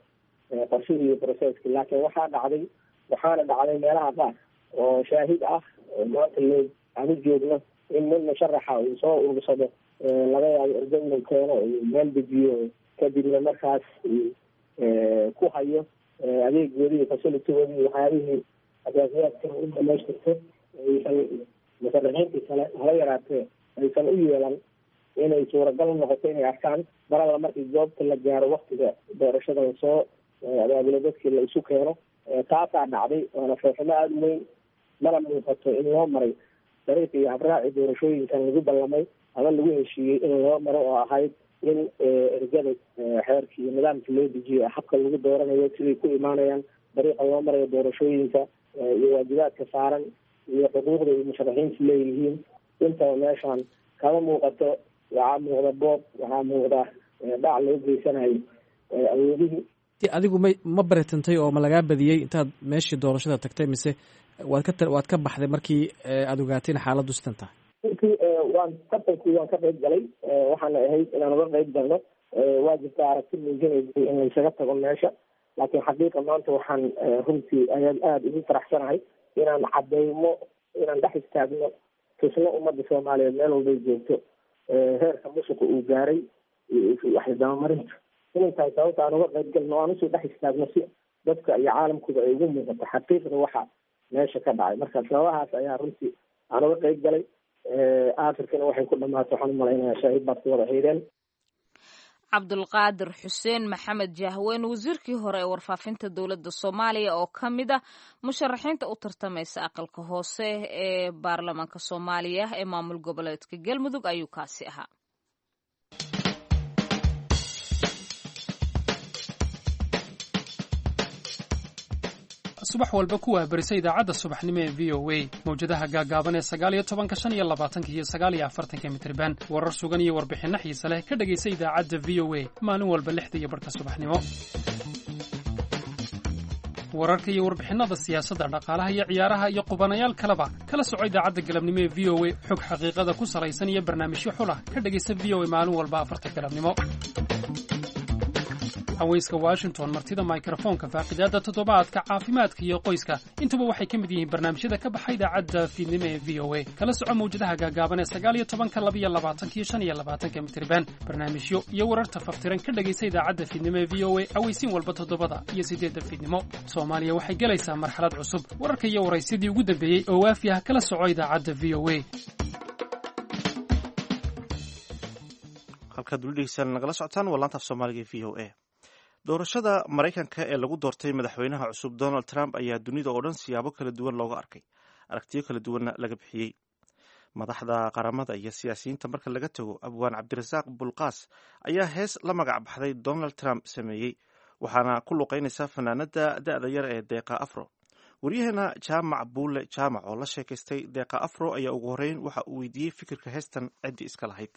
qorshihii iyo processki. Laakiin waxaa dhacday, waxaana dhacday meelaha qaar oo shaahid ah oo maanta loo aanu joogno, in nin musharaxa uu soo urursado, laga yaabo ergo inuu keeno, uu meel dejiyo, kadibna markaas uu ku hayo adeegoodii iyo facilitigoodii iyo waxyaabihii asaasiyaadka u dhamaystirto, aysan musharaxiintii kale hala yaraatee aysan u yeelan inay suuragal u noqoto inay arkaan maralla markii goobta la gaaro, waktiga doorashada lasoo abaabulo, dadkii la isu keeno. Taasaa dhacday, waana foofimo aada u weyn. Mana muuqato in loo maray dariiq iyo habraaci doorashooyinkan lagu ballamay ama lagu heshiiyey in loo maro, oo ahayd in ergada xeerkii iyo nidaamkii loo dejiyo, habka lagu dooranayo, siday ku imaanayaan, dariiqa loo marayo doorashooyinka iyo waajibaadka saaran iyo xuquuqda ay musharaxiintu leeyihiin. Intaba meeshaan kama muuqato. Waxaa muuqda boob, waxaa muuqda dhac loo geysanayo awoodihii. Adigu ma baritantay oo ma lagaa badiyey intaad meeshii doorashada tagtay, mise waad ka baxday markii aada ogaatay in xaaladdu sidan tahay? Runtii waan tartankii waan ka qayb galay, waxaana ahayd inaan uga qayb galno. Waa jirta aragti muujinaysay in laysaga tago meesha, laakiin xaqiiqa maanta waxaan runtii ayaan aada ugu faraxsanahay inaan cadeymo, inaan dhex istaagno, tusno ummadda Soomaaliyeed meel walbay joogto heerka musuqa uu gaaray, waxdabamarinta inay tahay sababta aan uga qayb galno, aan usoo dhex istaagno si dadka iyo caalamkuba ay ugu muuqato xaqiiqda waxa meesha ka dhacay. Marka sababahaas ayaa runtii aan uga qayb galay. Afrikana waxay ku dhamaatay, waxaan umalaynayaa shaahid baad ku wada xideen. Cabdulqaadir Xuseen Maxamed Jahweyn, wasiirkii hore ee warfaafinta dowladda Soomaaliya oo ka mid ah musharaxiinta u tartamaysa aqalka hoose ee baarlamaanka Soomaaliya ee maamul goboleedka Galmudug, ayuu kaasi ahaa. Subax walba ku waahbarisa idaacadda subaxnimo ee VOA, mawjadaha gaagaaban ee 19-ka, 25-ka iyo 49-ka mitriban. Warar sugan iyo warbixinno xiise leh ka dhegaysa idaacadda VOA maalin walba 6:30 subaxnimo. Wararka iyo warbixinnada siyaasadda, dhaqaalaha iyo ciyaaraha iyo qubanayaal kaleba kala soco idaacadda galabnimo ee VOA. Xog xaqiiqada ku salaysan iyo barnaamijyo xulah ka dhegaysa VOA maalin walba 4-ta galabnimo. Haweyska Washington, martida mikrofoonka, faaqidaadda toddobaadka, caafimaadka iyo qoyska, intuba waxay ka mid yihiin barnaamijyada ka baxa idaacadda fiidnimo ee VOA. Kala soco mawjadaha gaagaaban ee 19-ka, 22-ka iyo 25-ka mitriban. Barnaamijyo iyo wararta faftiran ka dhegaysa idaacadda fiidnimo ee VOA aweysiin walba 7-da iyo 8-da fiidnimo. Soomaaliya waxay gelaysaa marxalad cusub. Wararka iyo waraysyadii ugu dambeeyey oo waafi ah kala soco idaacadda VOA. Halkaad weli dhegeystaan nagala socotaan waa laanta af Soomaaliga e VOA. Doorashada Maraykanka ee lagu doortay madaxweynaha cusub Donald Trump ayaa dunida oo dhan siyaabo kala duwan looga arkay, aragtiyo kala duwanna laga bixiyey. Madaxda qaramada iyo siyaasiyiinta marka laga tago, abwaan Cabdirasaaq Bulqaas ayaa hees la magac baxday Donald Trump sameeyey, waxaana ku luqeynaysa fanaanada da-da yar ee Deeqa Afro. Waryaheena Jaamac Buule Jaamac oo la sheekaystay Deeqa Afro ayaa ugu horreyn waxa uu weydiiyey fikirka heestan ciddii iska lahayd.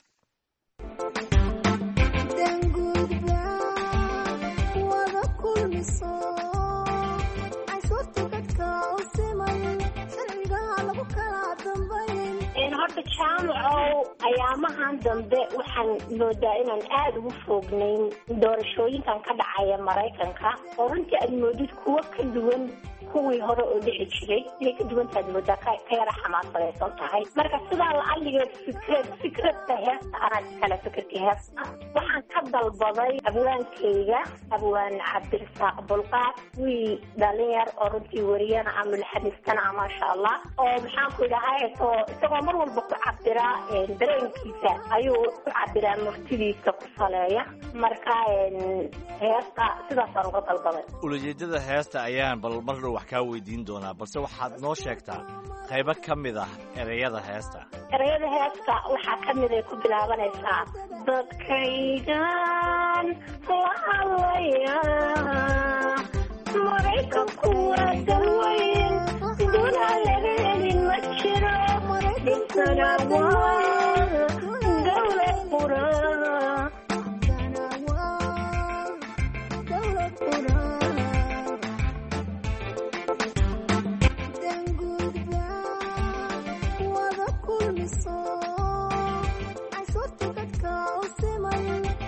Horta jaamacow, ayaamahan dambe waxaan moodaa inaan aada ugu foognayn doorashooyinkan ka dhacaya Maraykanka, oo runtii aad moodid kuwo ka duwan kuwii hore oo dhici jiray inay ka duwantaad moodaa, ka yara xamaasadaysan tahay. Marka sidaa lacaligeed fikradda heesta anaa iskale. Fikirka heesta waxaan ka dalbaday abwaankayga, abwaan Cabdirasaaq Bulqaad, wiil dhalinyar oo runtii wariyana ah, mulxamistana ah, maasha Allah, oo maxaan ku idhahay, isagoo mar walba ku cabiraa dareenkiisa ayuu ku cabiraa, murtidiisa ku saleeya. Marka heesta sidaasaan uga dalbaday. Ulajeedada heesta ayaan bal mar dhow wax kaa weydiin doonaa, balse waxaad noo sheegtaa qaybo ka mid ah ereyada heesta. Ereyada heesta waxaa ka mid ay ku bilaabanaysaa dadkaygan Dadkaygan la hadlayaa, Maraykanku waa dalweyn, dunaa laga helin ma jiro, dhisana waa dowlad qura.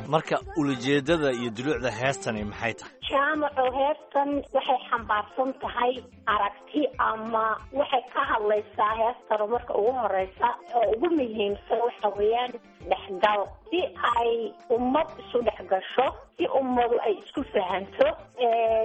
Marka ulajeedada iyo dulucda heestani maxay tahay? Jaamaco, heestan waxay xambaarsan tahay aragti ama waxay ka hadlaysaa heestanu marka ugu horeysa oo ugu muhiimsan waxa weeyaan dhexgal, si ay ummad isu dhexgasho, si ummadu ay isku fahanto,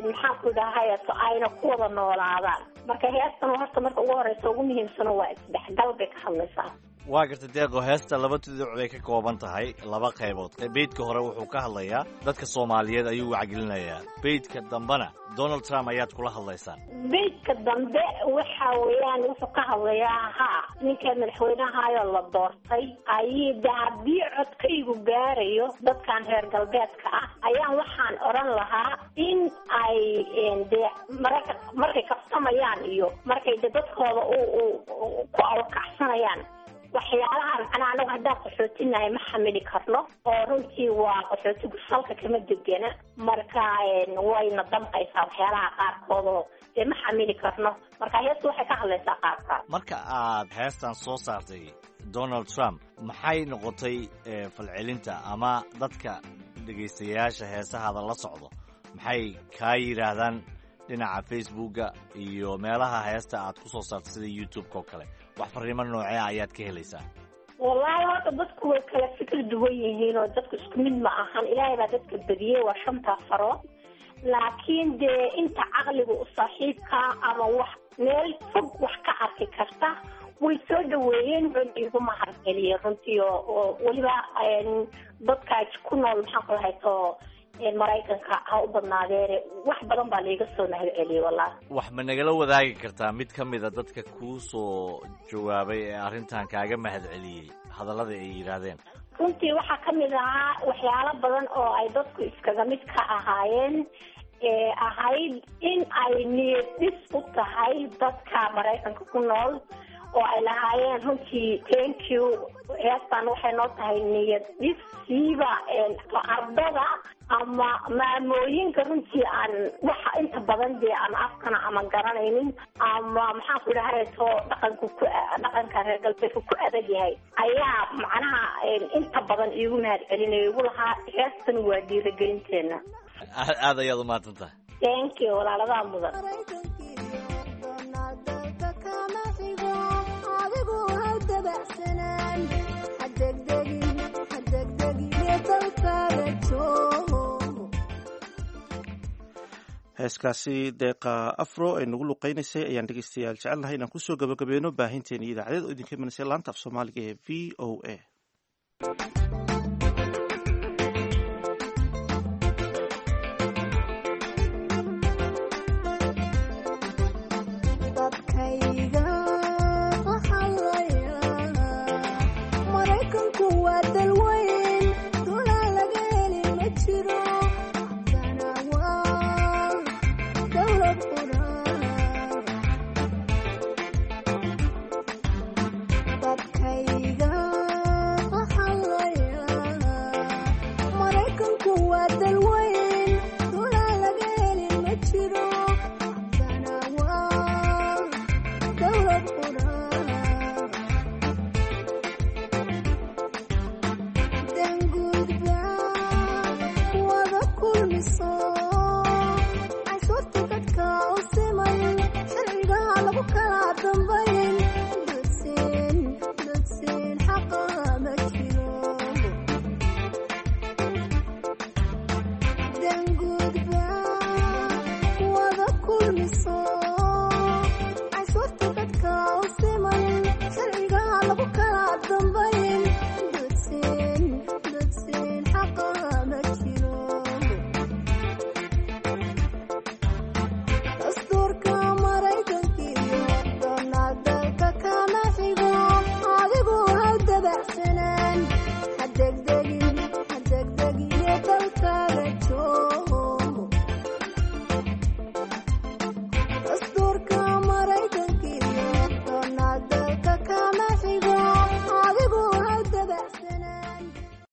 maxaan ku idhahay, ayna ku wada noolaadaan. Marka heestan horta marka ugu horeysa ugu muhiimsan waa isdhexgal bay ka hadlaysaa. Waa garta Deeqo, heesta laba tuduc bay ka kooban tahay, laba qaybood. Beydka hore wuxuu ka hadlayaa dadka Soomaaliyeed ayuu wacgelinayaa, beydka dambena Donald Trump ayaad kula hadlaysaan. Beydka dambe waxa weeyaan wuxuu ka hadlayaa ninka madaxweynahaayoo la doortay ayii de haddii codkaygu gaarayo dadkan reer galbeedka ah ayaan waxaan odhan lahaa in ay dee mararka markay kabsamayaan iyo markay de dadkooda ku awrkacsanayaan waxyaalaha, macnaha anagu haddaan qaxootinahay ma xamili karno, oo runtii waa qaxootigu salka kama degena. Marka wayna damqaysaa waxyaalaha qaarkood oo dee ma xamili karno. Marka heestu waxay ka hadlaysaa qaarkaas. Marka aad heestan soo saartay Donald Trump, maxay noqotay falcelinta ama dadka dhegaystayaasha heesahaada la socdo maxay kaa yidhaahdaan dhinaca Facebooka iyo meelaha heesta aad ku soo saartay sida YouTube-ka oo kale? Wax fariimo noocee ayaad ka helaysaa? Wallaahi horta dadku way kala fikir duwan yihiin oo dadku isku mid ma ahan. Ilaahay baa dadka badiyey, waa shantaa farood, laakiin dee inta caqliga u saaxiibka ama wax meel fog wax ka arki karta way soo dhaweeyeen, wayna igu mahadceliyeen runtii. Oo weliba dadka ku nool maxaan ku lahayto Maraykanka ha u badnaadeene, wax badan baa laiga soo mahadceliyey wallahi. Wax ma nagala wadaagi kartaa mid ka mida dadka kuu soo jawaabay ee arrintan kaaga mahadceliyey hadallada ay yidhaahdeen? Runtii waxaa ka mid ahaa waxyaalo badan oo ay dadku iskaga mid ka ahaayeen, ee ahayd in ay niyad dhis u tahay dadka Maraykanka ku nool, oo ay lahaayeen runtii thank you, heestan waxay noo tahay niyad dhis, siiba ardada ama maamooyinka runtii aan waxa inta badan dee aan afkana ama garanaynin ama maxaan ku idhahay to dhaqanku ku dhaqanka reer galbeedka ku adag yahay, ayaa macnaha inta badan iigu mahad celinaya, igu lahaa heestan waa dhiirigelinteena. Aad aad ayaad umahadsan tahay. Thank you, walaaladaa mudan. Heeskaasi Deeqa Afro ay nagu luqeynaysay ayaan dhegeystayaal jecelnahay inaan kusoo gabagabeyno baahinteeni idaacadeed oo idinka imanaysa laanta af Soomaaliga ee VOA. Maraykanku waa dal